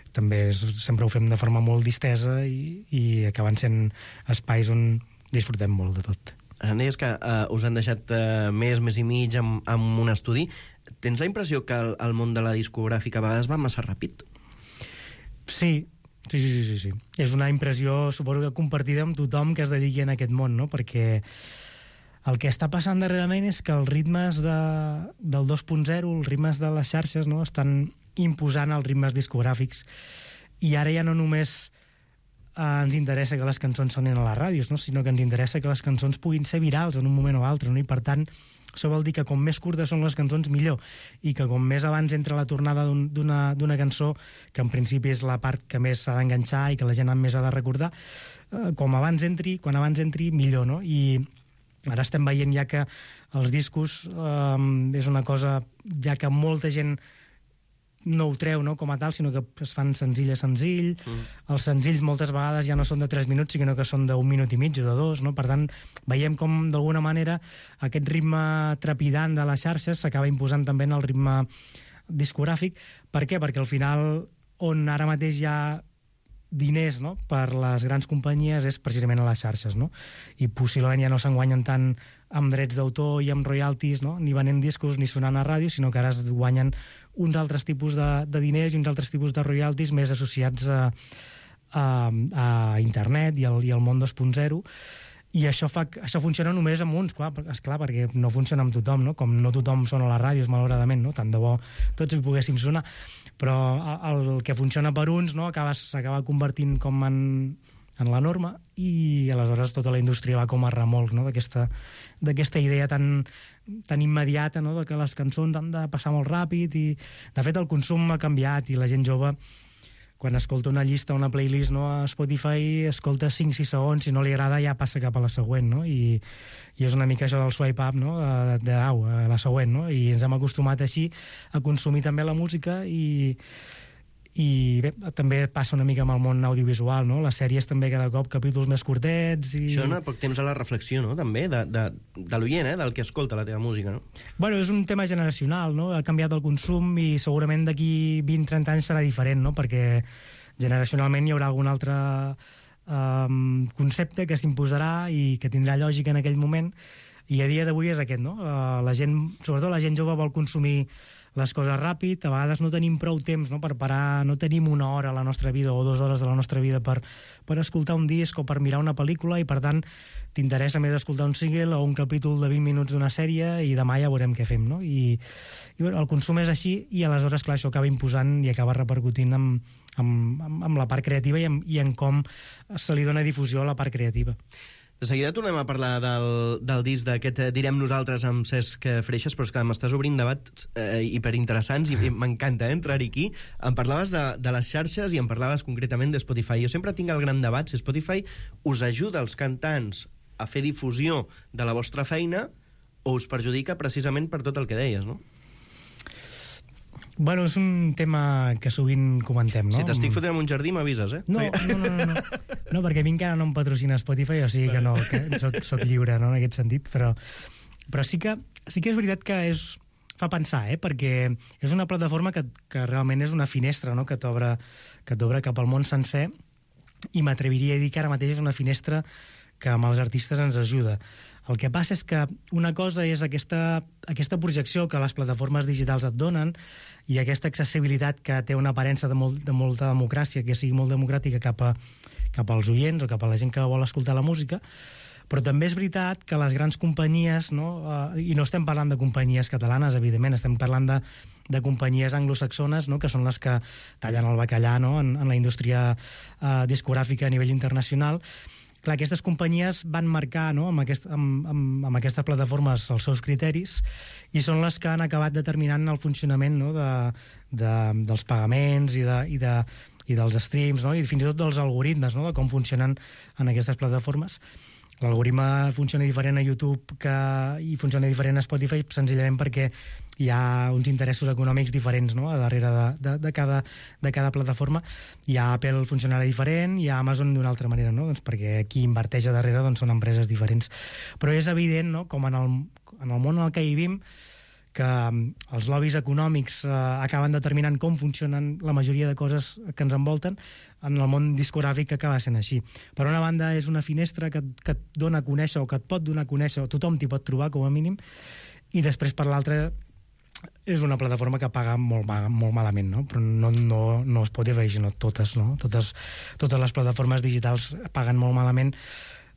també és, sempre ho fem de forma molt distesa i, i acaben sent espais on disfrutem molt de tot. Em deies que uh, us han deixat uh, mes, mes i mig amb, amb un estudi. Tens la impressió que el, el món de la discogràfica a vegades va massa ràpid? Sí, sí, sí, sí, sí. És una impressió, suposo que compartida amb tothom que es dediqui en aquest món, no? Perquè el que està passant darrerament és que els ritmes de, del dos punt zero, els ritmes de les xarxes, no? Estan imposant els ritmes discogràfics, i ara ja no només eh, ens interessa que les cançons sonin a les ràdios, no? Sinó que ens interessa que les cançons puguin ser virals en un moment o altre, no? I per tant, això vol dir que com més curtes són les cançons, millor, i que com més abans entra la tornada d'una d'una cançó, que en principi és la part que més s'ha d'enganxar i que la gent més ha de recordar, eh, com abans entri, quan abans entri, millor, no? I ara estem veient ja que els discos eh, és una cosa ja que molta gent no ho treu, no, com a tal, sinó que es fan senzill a senzill. Mm. Els senzills moltes vegades ja no són de tres minuts, sinó que són d'un minut i mig o de dos, no? Per tant, veiem com, d'alguna manera, aquest ritme trepidant de les xarxes s'acaba imposant també en el ritme discogràfic. Per què? Perquè al final, on ara mateix hi ha diners, no?, per les grans companyies és precisament a les xarxes, no? I possiblement ja no s'enguanyen tant amb drets d'autor i amb royalties, no?, ni venent discos ni sonant a ràdio, sinó que ara es guanyen uns altres tipus de, de diners i uns altres tipus de royalties més associats a, a, a internet i al, i al món dos punt zero, i això, fa, això funciona només amb uns, clar, esclar, perquè no funciona amb tothom, no? Com no tothom sona a les ràdios, malauradament, no? Tant de bo tots hi poguéssim sonar, però el que funciona per uns, no? S'acaba convertint com en, en la norma, i aleshores tota la indústria va com a remolc, no? D'aquesta idea tan, tan immediata, no? De que les cançons han de passar molt ràpid, i de fet el consum ha canviat, i la gent jove, quan escolta una llista o una playlist, no, a Spotify, escolta cinc sis segons, si no li agrada ja passa cap a la següent, no? I, i és una mica això del swipe up, no? De, de au, a la següent, no? I ens hem acostumat així a consumir també la música, i, i bé, també passa una mica amb el món audiovisual, no? Les sèries també cada cop capítols més curtets. I... Això dona poc temps a la reflexió, no? També, de, de, de l'oient, eh? Del que escolta la teva música, no? Bueno, és un tema generacional, no? Ha canviat el consum i segurament d'aquí vint trenta anys serà diferent, no? Perquè generacionalment hi haurà algun altre um, concepte que s'imposarà i que tindrà lògica en aquell moment, i a dia d'avui és aquest, no? Uh, la gent, sobretot la gent jove, vol consumir les coses ràpid, a vegades no tenim prou temps, no? Per parar, no tenim una hora a la nostra vida o dues hores de la nostra vida per, per escoltar un disc o per mirar una pel·lícula, i per tant t'interessa més escoltar un single o un capítol de vint minuts d'una sèrie i demà ja veurem què fem, no? I, i bueno, el consum és així, i aleshores, clar, això acaba imposant i acaba repercutint en, en, en, en la part creativa i en, i en com se li dona difusió a la part creativa. De seguida tornem a parlar del, del disc d'aquest Direm Nosaltres amb Cesc Freixas, però és que m'estàs obrint debats eh, hiperinteressants i, i m'encanta eh, entrar aquí. Em parlaves de, de les xarxes i em parlaves concretament de Spotify. Jo sempre tinc el gran debat si Spotify us ajuda als cantants a fer difusió de la vostra feina o us perjudica precisament per tot el que deies, no? Bueno, és un tema que sovint comentem, no? Si t'estic fotent en un jardí, m'avises, eh? No, no, no, no, no. No, perquè a mi encara no em patrocina Spotify, o sigui que no, que soc, soc lliure, no?, en aquest sentit, però, però sí, que, sí que és veritat que és, fa pensar, eh?, perquè és una plataforma que, que realment és una finestra, no?, que t'obre que t'obre cap al món sencer, i m'atreviria a dir que ara mateix és una finestra que amb els artistes ens ajuda. El que passa és que una cosa és aquesta, aquesta projecció que les plataformes digitals et donen i aquesta accessibilitat que té una aparença de, molt, de molta democràcia, que sigui molt democràtica cap, a, cap als oients o cap a la gent que vol escoltar la música, però també és veritat que les grans companyies, no, uh, i no estem parlant de companyies catalanes, evidentment, estem parlant de, de companyies anglosaxones, no?, que són les que tallen el bacallà, no?, en, en la indústria uh, discogràfica a nivell internacional. Clar, aquestes companyies van marcar, no?, amb, aquest, amb, amb, amb aquestes plataformes els seus criteris, i són les que han acabat determinant el funcionament, no?, de, de, dels pagaments i, de, i, de, i dels streams, no?, i fins i tot dels algoritmes, no?, de com funcionen en aquestes plataformes. L'algoritme funciona diferent a YouTube que, i funciona diferent a Spotify senzillament perquè hi ha uns interessos econòmics diferents, no?, a darrere de, de, de, cada, de cada plataforma. Hi ha Apple funcionarà diferent, hi ha Amazon d'una altra manera, no?, doncs perquè qui inverteix a darrere doncs, són empreses diferents. Però és evident, no?, com en el, en el món en el que vivim, que els lobbies econòmics eh, acaben determinant com funcionen la majoria de coses que ens envolten. En el món discogràfic que acaba sent així. Per una banda, és una finestra que, que et dona a conèixer, o que et pot donar a conèixer, o tothom t'hi pot trobar, com a mínim, i després, per l'altra, és una plataforma que paga molt, molt malament, no? Però no, no, no es pot dir, sinó totes, no? Totes, totes les plataformes digitals paguen molt malament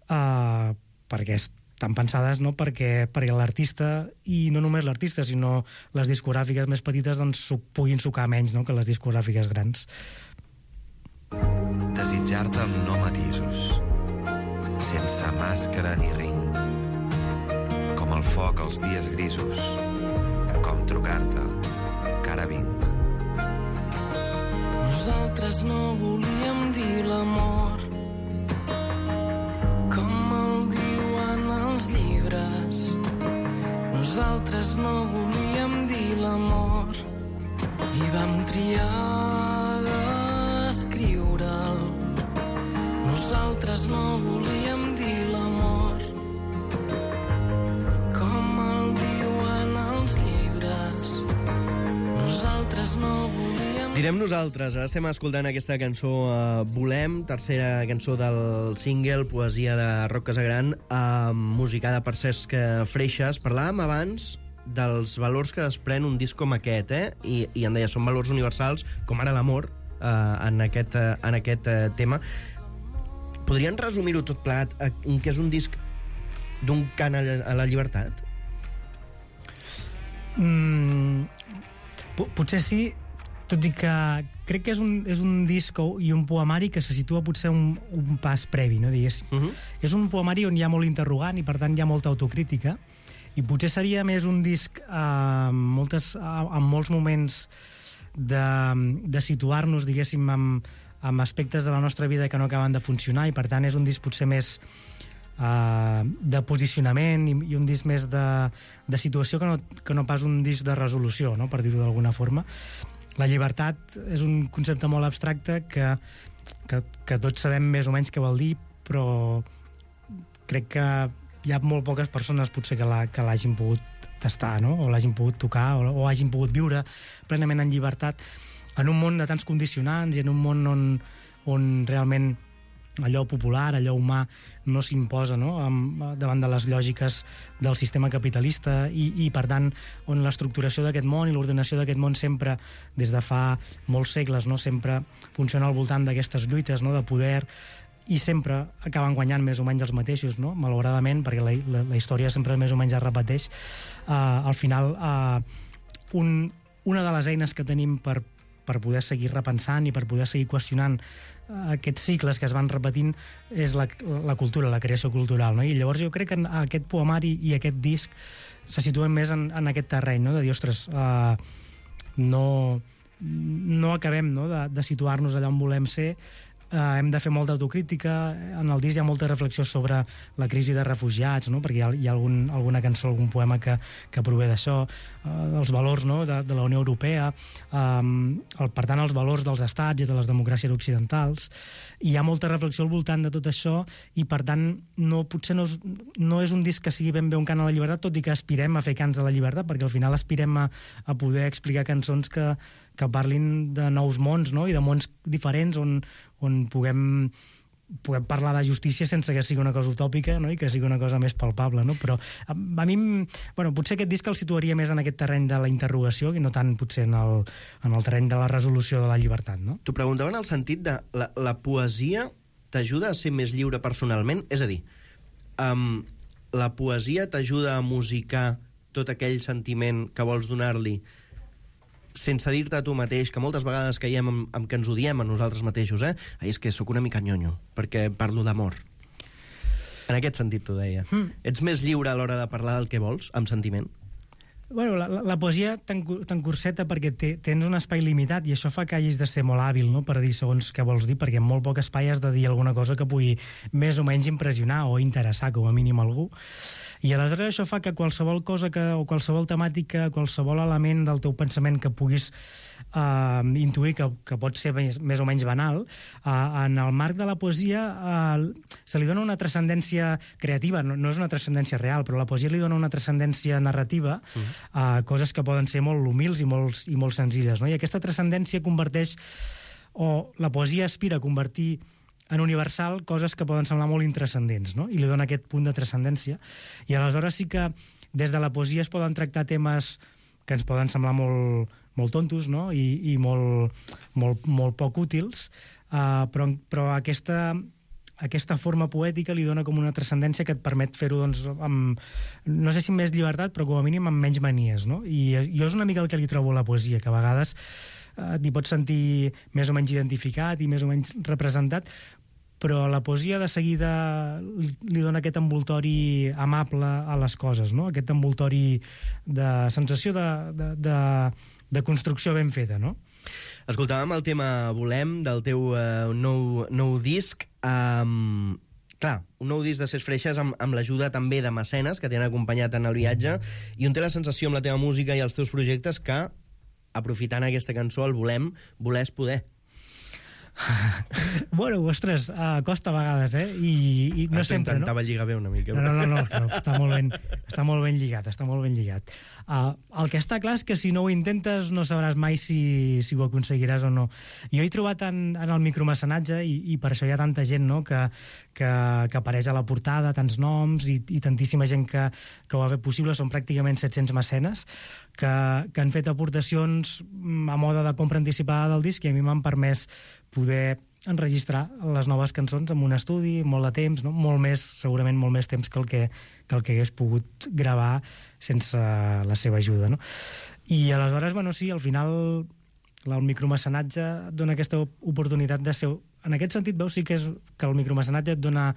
eh, perquè estan pensades, no?, perquè, perquè l'artista, i no només l'artista, sinó les discogràfiques més petites, doncs puguin sucar menys, no?, que les discogràfiques grans. Desitjar-te amb no matisos, sense màscara ni ring, com el foc als dies grisos, com trucar-te, que ara vinc. Nosaltres no volíem dir l'amor com el diuen els llibres. Nosaltres no volíem dir l'amor i vam triar d'escriure'l. Nosaltres no volíem dir l'amor com el diuen els llibres. Nosaltres no volíem... Direm Nosaltres. Ara estem escoltant aquesta cançó uh, Volem, tercera cançó del single, poesia de Roc Casagran, uh, musicada per Cesc Freixas. Parlàvem abans dels valors que desprèn un disc com aquest, eh? I, i em deia, són valors universals, com ara l'amor, uh, en aquest, uh, en aquest uh, tema. Podrien resumir-ho tot plegat en què és un disc d'un cant a la llibertat? Mm, potser sí, tot i que crec que és un, és un disc i un poemari que se situa potser un, un pas previ, no, diguéssim. Uh -huh. És un poemari on hi ha molt interrogant i per tant hi ha molta autocrítica, i potser seria més un disc eh, amb, moltes, amb molts moments de, de situar-nos, diguéssim, amb, amb aspectes de la nostra vida que no acaben de funcionar, i per tant és un disc potser més Uh, de posicionament i, i un disc més de, de situació que no, que no pas un disc de resolució, no? Per dir-ho d'alguna forma. La llibertat és un concepte molt abstracte que, que, que tots sabem més o menys què vol dir, però crec que hi ha molt poques persones potser que la, que l'hagin pogut tastar, no? O l'hagin pogut tocar, o, o hagin pogut viure plenament en llibertat en un món de tants condicionants i en un món on, on realment allò popular, allò humà no s'imposa, no? Amb, davant de les lògiques del sistema capitalista i, i per tant on l'estructuració d'aquest món i l'ordenació d'aquest món sempre des de fa molts segles, no? Sempre funciona al voltant d'aquestes lluites, no? De poder, i sempre acaben guanyant més o menys els mateixos, no? Malauradament, perquè la, la, la història sempre més o menys es repeteix. Uh, al final uh, un, una de les eines que tenim per, per poder seguir repensant i per poder seguir qüestionant aquests cicles que es van repetint és la, la cultura, la creació cultural, no? I llavors jo crec que aquest poemari i aquest disc se situen més en, en aquest terreny, no? De dir, ostres, uh, no, no acabem, no? de, de situar-nos allà on volem ser. Uh, hem de fer molta autocrítica. En el disc hi ha molta reflexió sobre la crisi de refugiats, no? Perquè hi ha, hi ha algun, alguna cançó, algun poema que, que prové d'això, uh, els valors, no? de, de la Unió Europea, um, el, per tant els valors dels estats i de les democràcies occidentals. I hi ha molta reflexió al voltant de tot això i per tant no, potser no és, no és un disc que sigui ben bé un cant a la llibertat, tot i que aspirem a fer cants de la llibertat, perquè al final aspirem a, a poder explicar cançons que, que parlin de nous mons, no? I de mons diferents on on puguem, puguem parlar de justícia sense que sigui una cosa utòpica, no? I que sigui una cosa més palpable, no? Però a, a mi, bueno, potser aquest disc el situaria més en aquest terreny de la interrogació i no tant potser en el, en el terreny de la resolució de la llibertat, no? T'ho preguntava en el sentit de la, la poesia t'ajuda a ser més lliure personalment? És a dir, um, la poesia t'ajuda a musicar tot aquell sentiment que vols donar-li sense dir-te a tu mateix, que moltes vegades caiem amb, amb que ens odiem a nosaltres mateixos, eh? Ai, és que sóc una mica nyonyo, perquè parlo d'amor. En aquest sentit t'ho deia. Mm. Ets més lliure a l'hora de parlar del que vols, amb sentiment? Bueno, la, la poesia t'encurseta perquè te, tens un espai limitat i això fa que hagis de ser molt hàbil, no?, per dir segons què vols dir, perquè en molt poc espai has de dir alguna cosa que pugui més o menys impressionar o interessar, com a mínim, algú. I aleshores això fa que qualsevol cosa que, o qualsevol temàtica, qualsevol element del teu pensament que puguis uh, intuir que, que pot ser més, més o menys banal, uh, en el marc de la poesia uh, se li dona una transcendència creativa, no, no és una transcendència real, però la poesia li dona una transcendència narrativa, uh, uh, coses que poden ser molt humils i molt, i molt senzilles, no? I aquesta transcendència converteix, o la poesia aspira a convertir en universal coses que poden semblar molt intranscendents, no? I li dona aquest punt de transcendència. I aleshores sí que des de la poesia es poden tractar temes que ens poden semblar molt, molt tontos, no? I, i molt, molt, molt poc útils, uh, però, però aquesta, aquesta forma poètica li dona com una transcendència que et permet fer-ho, doncs, amb, no sé si amb més llibertat, però com a mínim amb menys manies, no? I jo és una mica el que li trobo a la poesia, que a vegades uh, t'hi pots sentir més o menys identificat i més o menys representat, però la poesia de seguida li, li dona aquest envoltori amable a les coses, no? Aquest envoltori de sensació de, de, de, de construcció ben feta, no? Escoltàvem el tema Volem, del teu uh, nou, nou disc. Um, clar, un nou disc de Ses Freixes amb, amb l'ajuda també de mecenes que t'han acompanyat en el viatge, i on té la sensació amb la teva música i els teus projectes que, aprofitant aquesta cançó, el Volem, voler és poder. Bueno, ostres, uh, costa a vegades, eh? I, i no ah, sempre, no? Intentava lligar bé una mica. No, no, no, no, no està, molt ben, està molt ben lligat, està molt ben lligat. Uh, el que està clar és que si no ho intentes no sabràs mai si, si ho aconseguiràs o no. Jo he trobat en, en el micromecenatge, i, i per això hi ha tanta gent, no?, que, que, que apareix a la portada, tants noms i, i tantíssima gent que, que ho ha fet possible, són pràcticament set-cents mecenes, que, que han fet aportacions a moda de compra anticipada del disc, i a mi m'han permès poder enregistrar les noves cançons amb un estudi, molt de temps, no? Molt més, segurament molt més temps que el que, que, el que hagués pogut gravar sense la seva ajuda, no? I aleshores, bueno, sí, al final el micromecenatge et dona aquesta oportunitat de ser... En aquest sentit, veus, sí que és que el micromecenatge et dona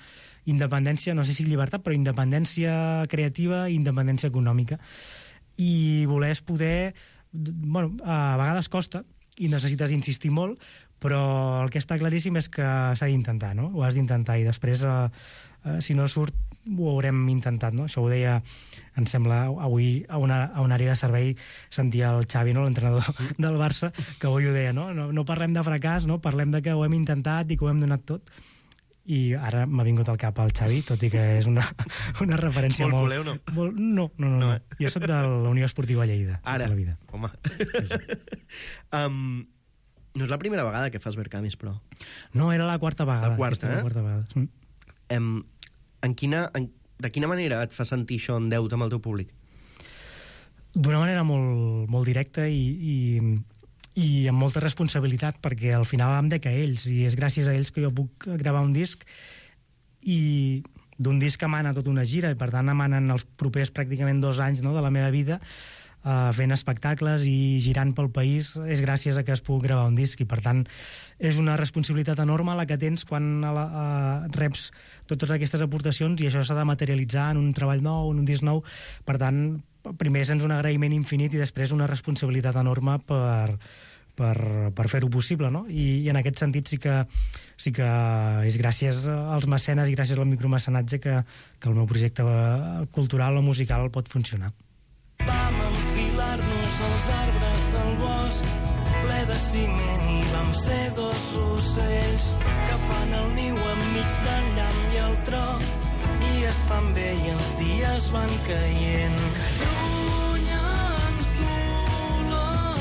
independència, no sé si llibertat, però independència creativa i independència econòmica. I voler poder... Bueno, a vegades costa i necessites insistir molt, però el que està claríssim és que s'ha d'intentar, no? Ho has d'intentar i després, eh, eh, si no surt, ho haurem intentat, no? Això ho deia, em sembla, avui a una, a una àrea de servei sentia el Xavi, no?, l'entrenador del Barça, que avui ho deia, no? No, no parlem de fracàs, no? Parlem de que ho hem intentat i que ho hem donat tot. I ara m'ha vingut al cap el Xavi, tot i que és una, una referència molt... molt... Culeu, no? Molt, no, no, no, no. no eh? Jo soc de la Unió Esportiva Lleida. Ara, tota la vida. home. um, no és la primera vegada que fas Vercamis, però. No, era la quarta vegada. La quarta, eh? La quarta vegada. Mm. Um, en quina, en, de quina manera et fa sentir això en deute amb el teu públic? D'una manera molt, molt directa i, i, i amb molta responsabilitat, perquè al final em dec a ells, i és gràcies a ells que jo puc gravar un disc, i d'un disc emana tota una gira, i per tant emanen els propers pràcticament dos anys, no?, de la meva vida, Uh, fent espectacles i girant pel país. És gràcies a que es pugui gravar un disc, i per tant és una responsabilitat enorme la que tens quan a la, uh, reps totes aquestes aportacions, i això s'ha de materialitzar en un treball nou, en un disc nou. Per tant, primer sents un agraïment infinit i després una responsabilitat enorme per, per, per fer-ho possible, no? I, i en aquest sentit sí que, sí que és gràcies als mecenes i gràcies al micromecenatge que, que el meu projecte cultural o musical pot funcionar. Vam enfilar-nos als arbres del bosc ple de ciment i vam ser dos ocells que fan el niu enmig del llamp i el tro, i estan bé i els dies van caient. Que lluny ens du l'amor,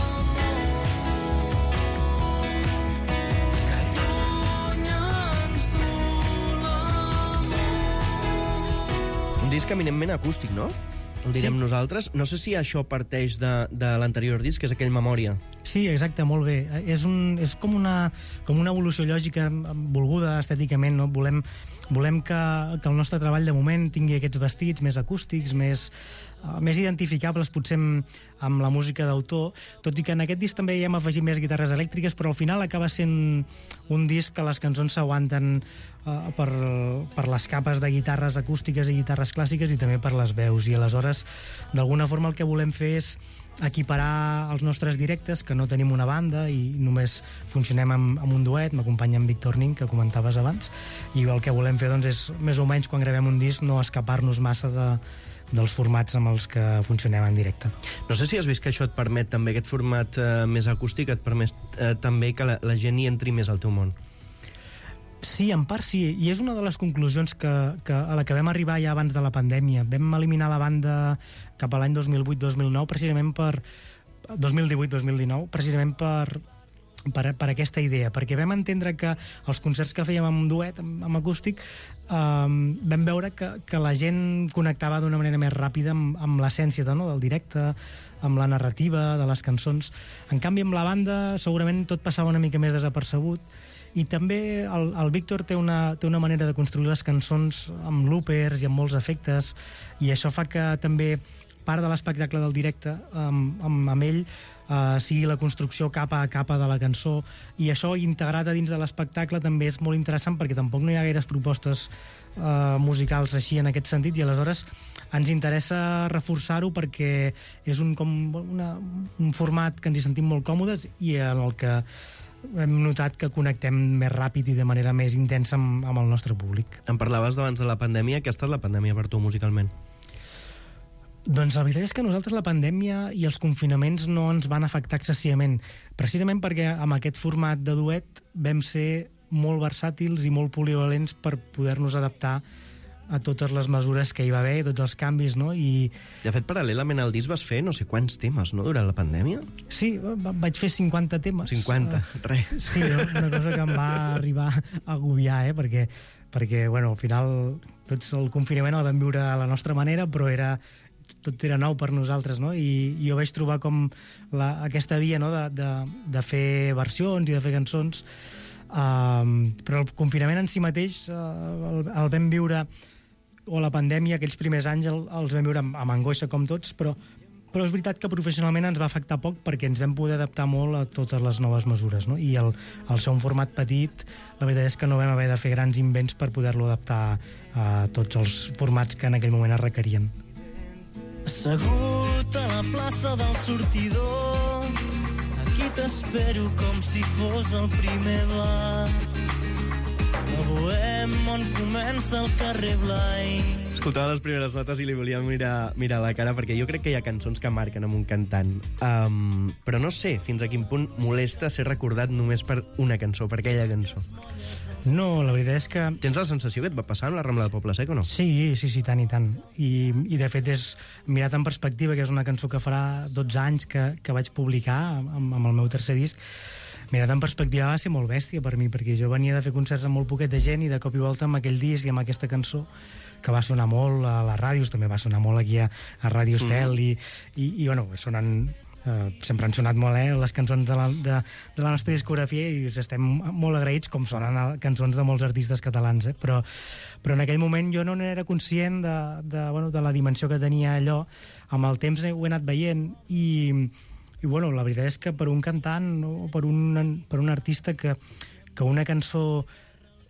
que lluny ens du l'amor. Un disc eminentment acústic, no? El direm sí. Nosaltres. No sé si això parteix de, de l'anterior disc, que és aquell Memòria. Sí, exacte, molt bé. És, un, és com, una, com una evolució lògica volguda estèticament, no? Volem, volem que, que el nostre treball de moment tingui aquests vestits més acústics, més, uh, més identificables, potser amb, amb la música d'autor, tot i que en aquest disc també hi hem afegit més guitarres elèctriques, però al final acaba sent un disc que les cançons s'aguanten uh, per, per les capes de guitarres acústiques i guitarres clàssiques, i també per les veus, i aleshores d'alguna forma el que volem fer és equiparar els nostres directes, que no tenim una banda i només funcionem amb, amb un duet. M'acompanya en Víctor Nin, que comentaves abans, i el que volem fer doncs, és més o menys quan gravem un disc no escapar-nos massa de, dels formats amb els que funcionem en directe. No sé si has vist que això et permet també, aquest format eh, més acústic et permet eh, també que la, la gent hi entri més al teu món. Sí, en part sí, i és una de les conclusions que, que, a la que vam arribar ja abans de la pandèmia. Vam eliminar la banda cap a l'any dos mil vuit dos mil nou, precisament per... dos mil divuit dos mil dinou, precisament per, per, per aquesta idea, perquè vam entendre que els concerts que fèiem amb duet, amb, amb acústic, um, vam veure que, que la gent connectava d'una manera més ràpida amb, amb l'essència, no?, del directe, amb la narrativa de les cançons. En canvi, amb la banda segurament tot passava una mica més desapercebut. I també el, el Víctor té una, té una manera de construir les cançons amb loopers i amb molts efectes, i això fa que també part de l'espectacle del directe amb, amb, amb ell uh, sigui la construcció capa a capa de la cançó, i això integrat a dins de l'espectacle també és molt interessant, perquè tampoc no hi ha gaires propostes uh, musicals així en aquest sentit, i aleshores ens interessa reforçar-ho perquè és un, com una, un format que ens hi sentim molt còmodes i en el que hem notat que connectem més ràpid i de manera més intensa amb, amb el nostre públic. Em parlaves d'abans de la pandèmia. Què ha estat la pandèmia per tu musicalment? Doncs la veritat és que a nosaltres la pandèmia i els confinaments no ens van afectar excessivament, precisament perquè amb aquest format de duet vam ser molt versàtils i molt polivalents per poder-nos adaptar a totes les mesures que hi va haver, tots els canvis, no? I de fet, paral·lelament al disc vas fer no sé quants temes, no?, durant la pandèmia? Sí, vaig fer cinquanta temes. cinquanta, uh, res. Sí, no? Una cosa que em va arribar a agobiar, eh? Perquè, perquè bueno, al final tots el confinament el vam viure a la nostra manera, però era tot era nou per nosaltres, no? I, i jo vaig trobar com la, aquesta via, no?, de, de, de fer versions i de fer cançons Uh, però el confinament en si mateix uh, el, el vam viure, o la pandèmia, aquells primers anys el, els vam viure amb, amb angoixa com tots, però, però és veritat que professionalment ens va afectar poc perquè ens vam poder adaptar molt a totes les noves mesures, no? I el, el ser un format petit, la veritat és que no vam haver de fer grans invents per poder-lo adaptar a tots els formats que en aquell moment es requerien. Assegut a la plaça del sortidor, aquí t'espero com si fos el primer bar. A Bohem, on comença el carrer Blai. Escoltava les primeres notes i li volia mirar, mirar la cara, perquè jo crec que hi ha cançons que marquen amb un cantant. Um, però no sé fins a quin punt molesta ser recordat només per una cançó, per aquella cançó. No, la veritat és que... Tens la sensació que et va passar amb la Rambla del Poble Sec o no? Sí, sí, sí, tant i tant. I, i de fet és mirat en perspectiva, que és una cançó que farà dotze anys que, que vaig publicar amb, amb el meu tercer disc. Mirat en perspectiva va ser molt bèstia per mi, perquè jo venia de fer concerts amb molt poquet de gent i de cop i volta amb aquell disc i amb aquesta cançó que va sonar molt a les ràdios, també va sonar molt aquí a, a Ràdio Estel, mm. i, i, i bueno, sonen... Uh, sempre han sonat molt, eh, les cançons de la, de, de la nostra discografia i estem molt agraïts com sonen cançons de molts artistes catalans, eh? però, però en aquell moment jo no n'era conscient de, de, bueno, de la dimensió que tenia allò. Amb el temps ho he anat veient i, i bueno, la veritat és que per un cantant o per un, per un artista que, que una cançó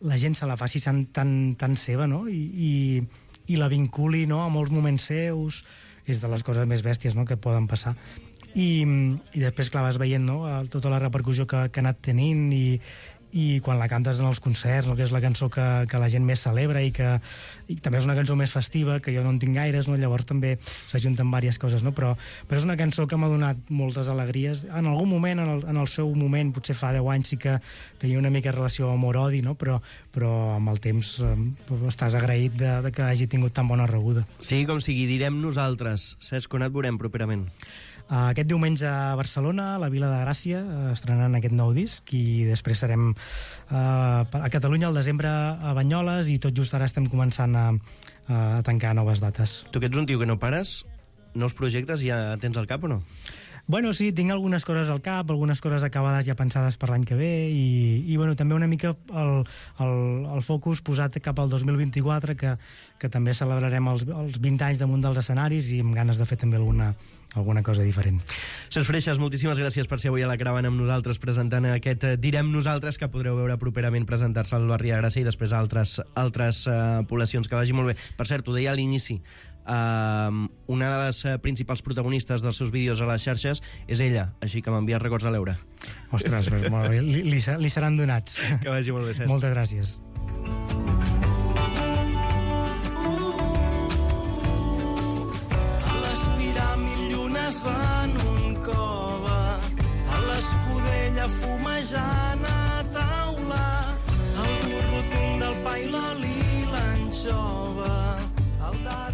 la gent se la faci tan, tan, tan seva, no? I, i, i la vinculi, no?, a molts moments seus, és de les coses més bèsties, no?, que poden passar. I, i després, clar, vas veient, no?, tota la repercussió que, que ha anat tenint i, i quan la cantes en els concerts, no?, que és la cançó que, que la gent més celebra i que i també és una cançó més festiva, que jo no en tinc gaires, no?, llavors també s'ajunten diverses coses, no?, però, però és una cançó que m'ha donat moltes alegries. En algun moment, en el, en el seu moment, potser fa deu anys, sí que tenia una mica relació amor-odi, no?, però, però amb el temps eh, estàs agraït de, de que hagi tingut tan bona rebuda. Sí, com sigui, direm nosaltres. Cesc, on et veurem properament? Uh, aquest diumenge a Barcelona, a la Vila de Gràcia, uh, estrenant aquest nou disc, i després serem uh, a Catalunya al desembre a Banyoles, i tot just ara estem començant a, a tancar noves dates. Tu que ets un tio que no pares, nous projectes ja tens al cap o no? Bueno, sí, tinc algunes coses al cap, algunes coses acabades ja pensades per l'any que ve, i, i bueno, també una mica el, el, el focus posat cap al dos mil vint-i-quatre, que, que també celebrarem els, els vint anys damunt dels escenaris, i amb ganes de fer també alguna, alguna cosa diferent. Cesc Freixas, moltíssimes gràcies per ser avui a la caravana amb nosaltres presentant aquest Direm Nosaltres, que podreu veure properament presentar-se al barri de Gràcia i després a altres, altres uh, poblacions. Que vagi molt bé. Per cert, ho deia a l'inici, Uh, una de les uh, principals protagonistes dels seus vídeos a les xarxes és ella, així que m'envia records a l'Eura. Ostres, molt bé. Li, li, li seran donats. Que vagi molt bé, Cesc. Moltes gràcies. A l'Espiràmil llunes en un cove, a l'Escudella fumejant a taula, al dur rotund del pa i l'oli l'anxova.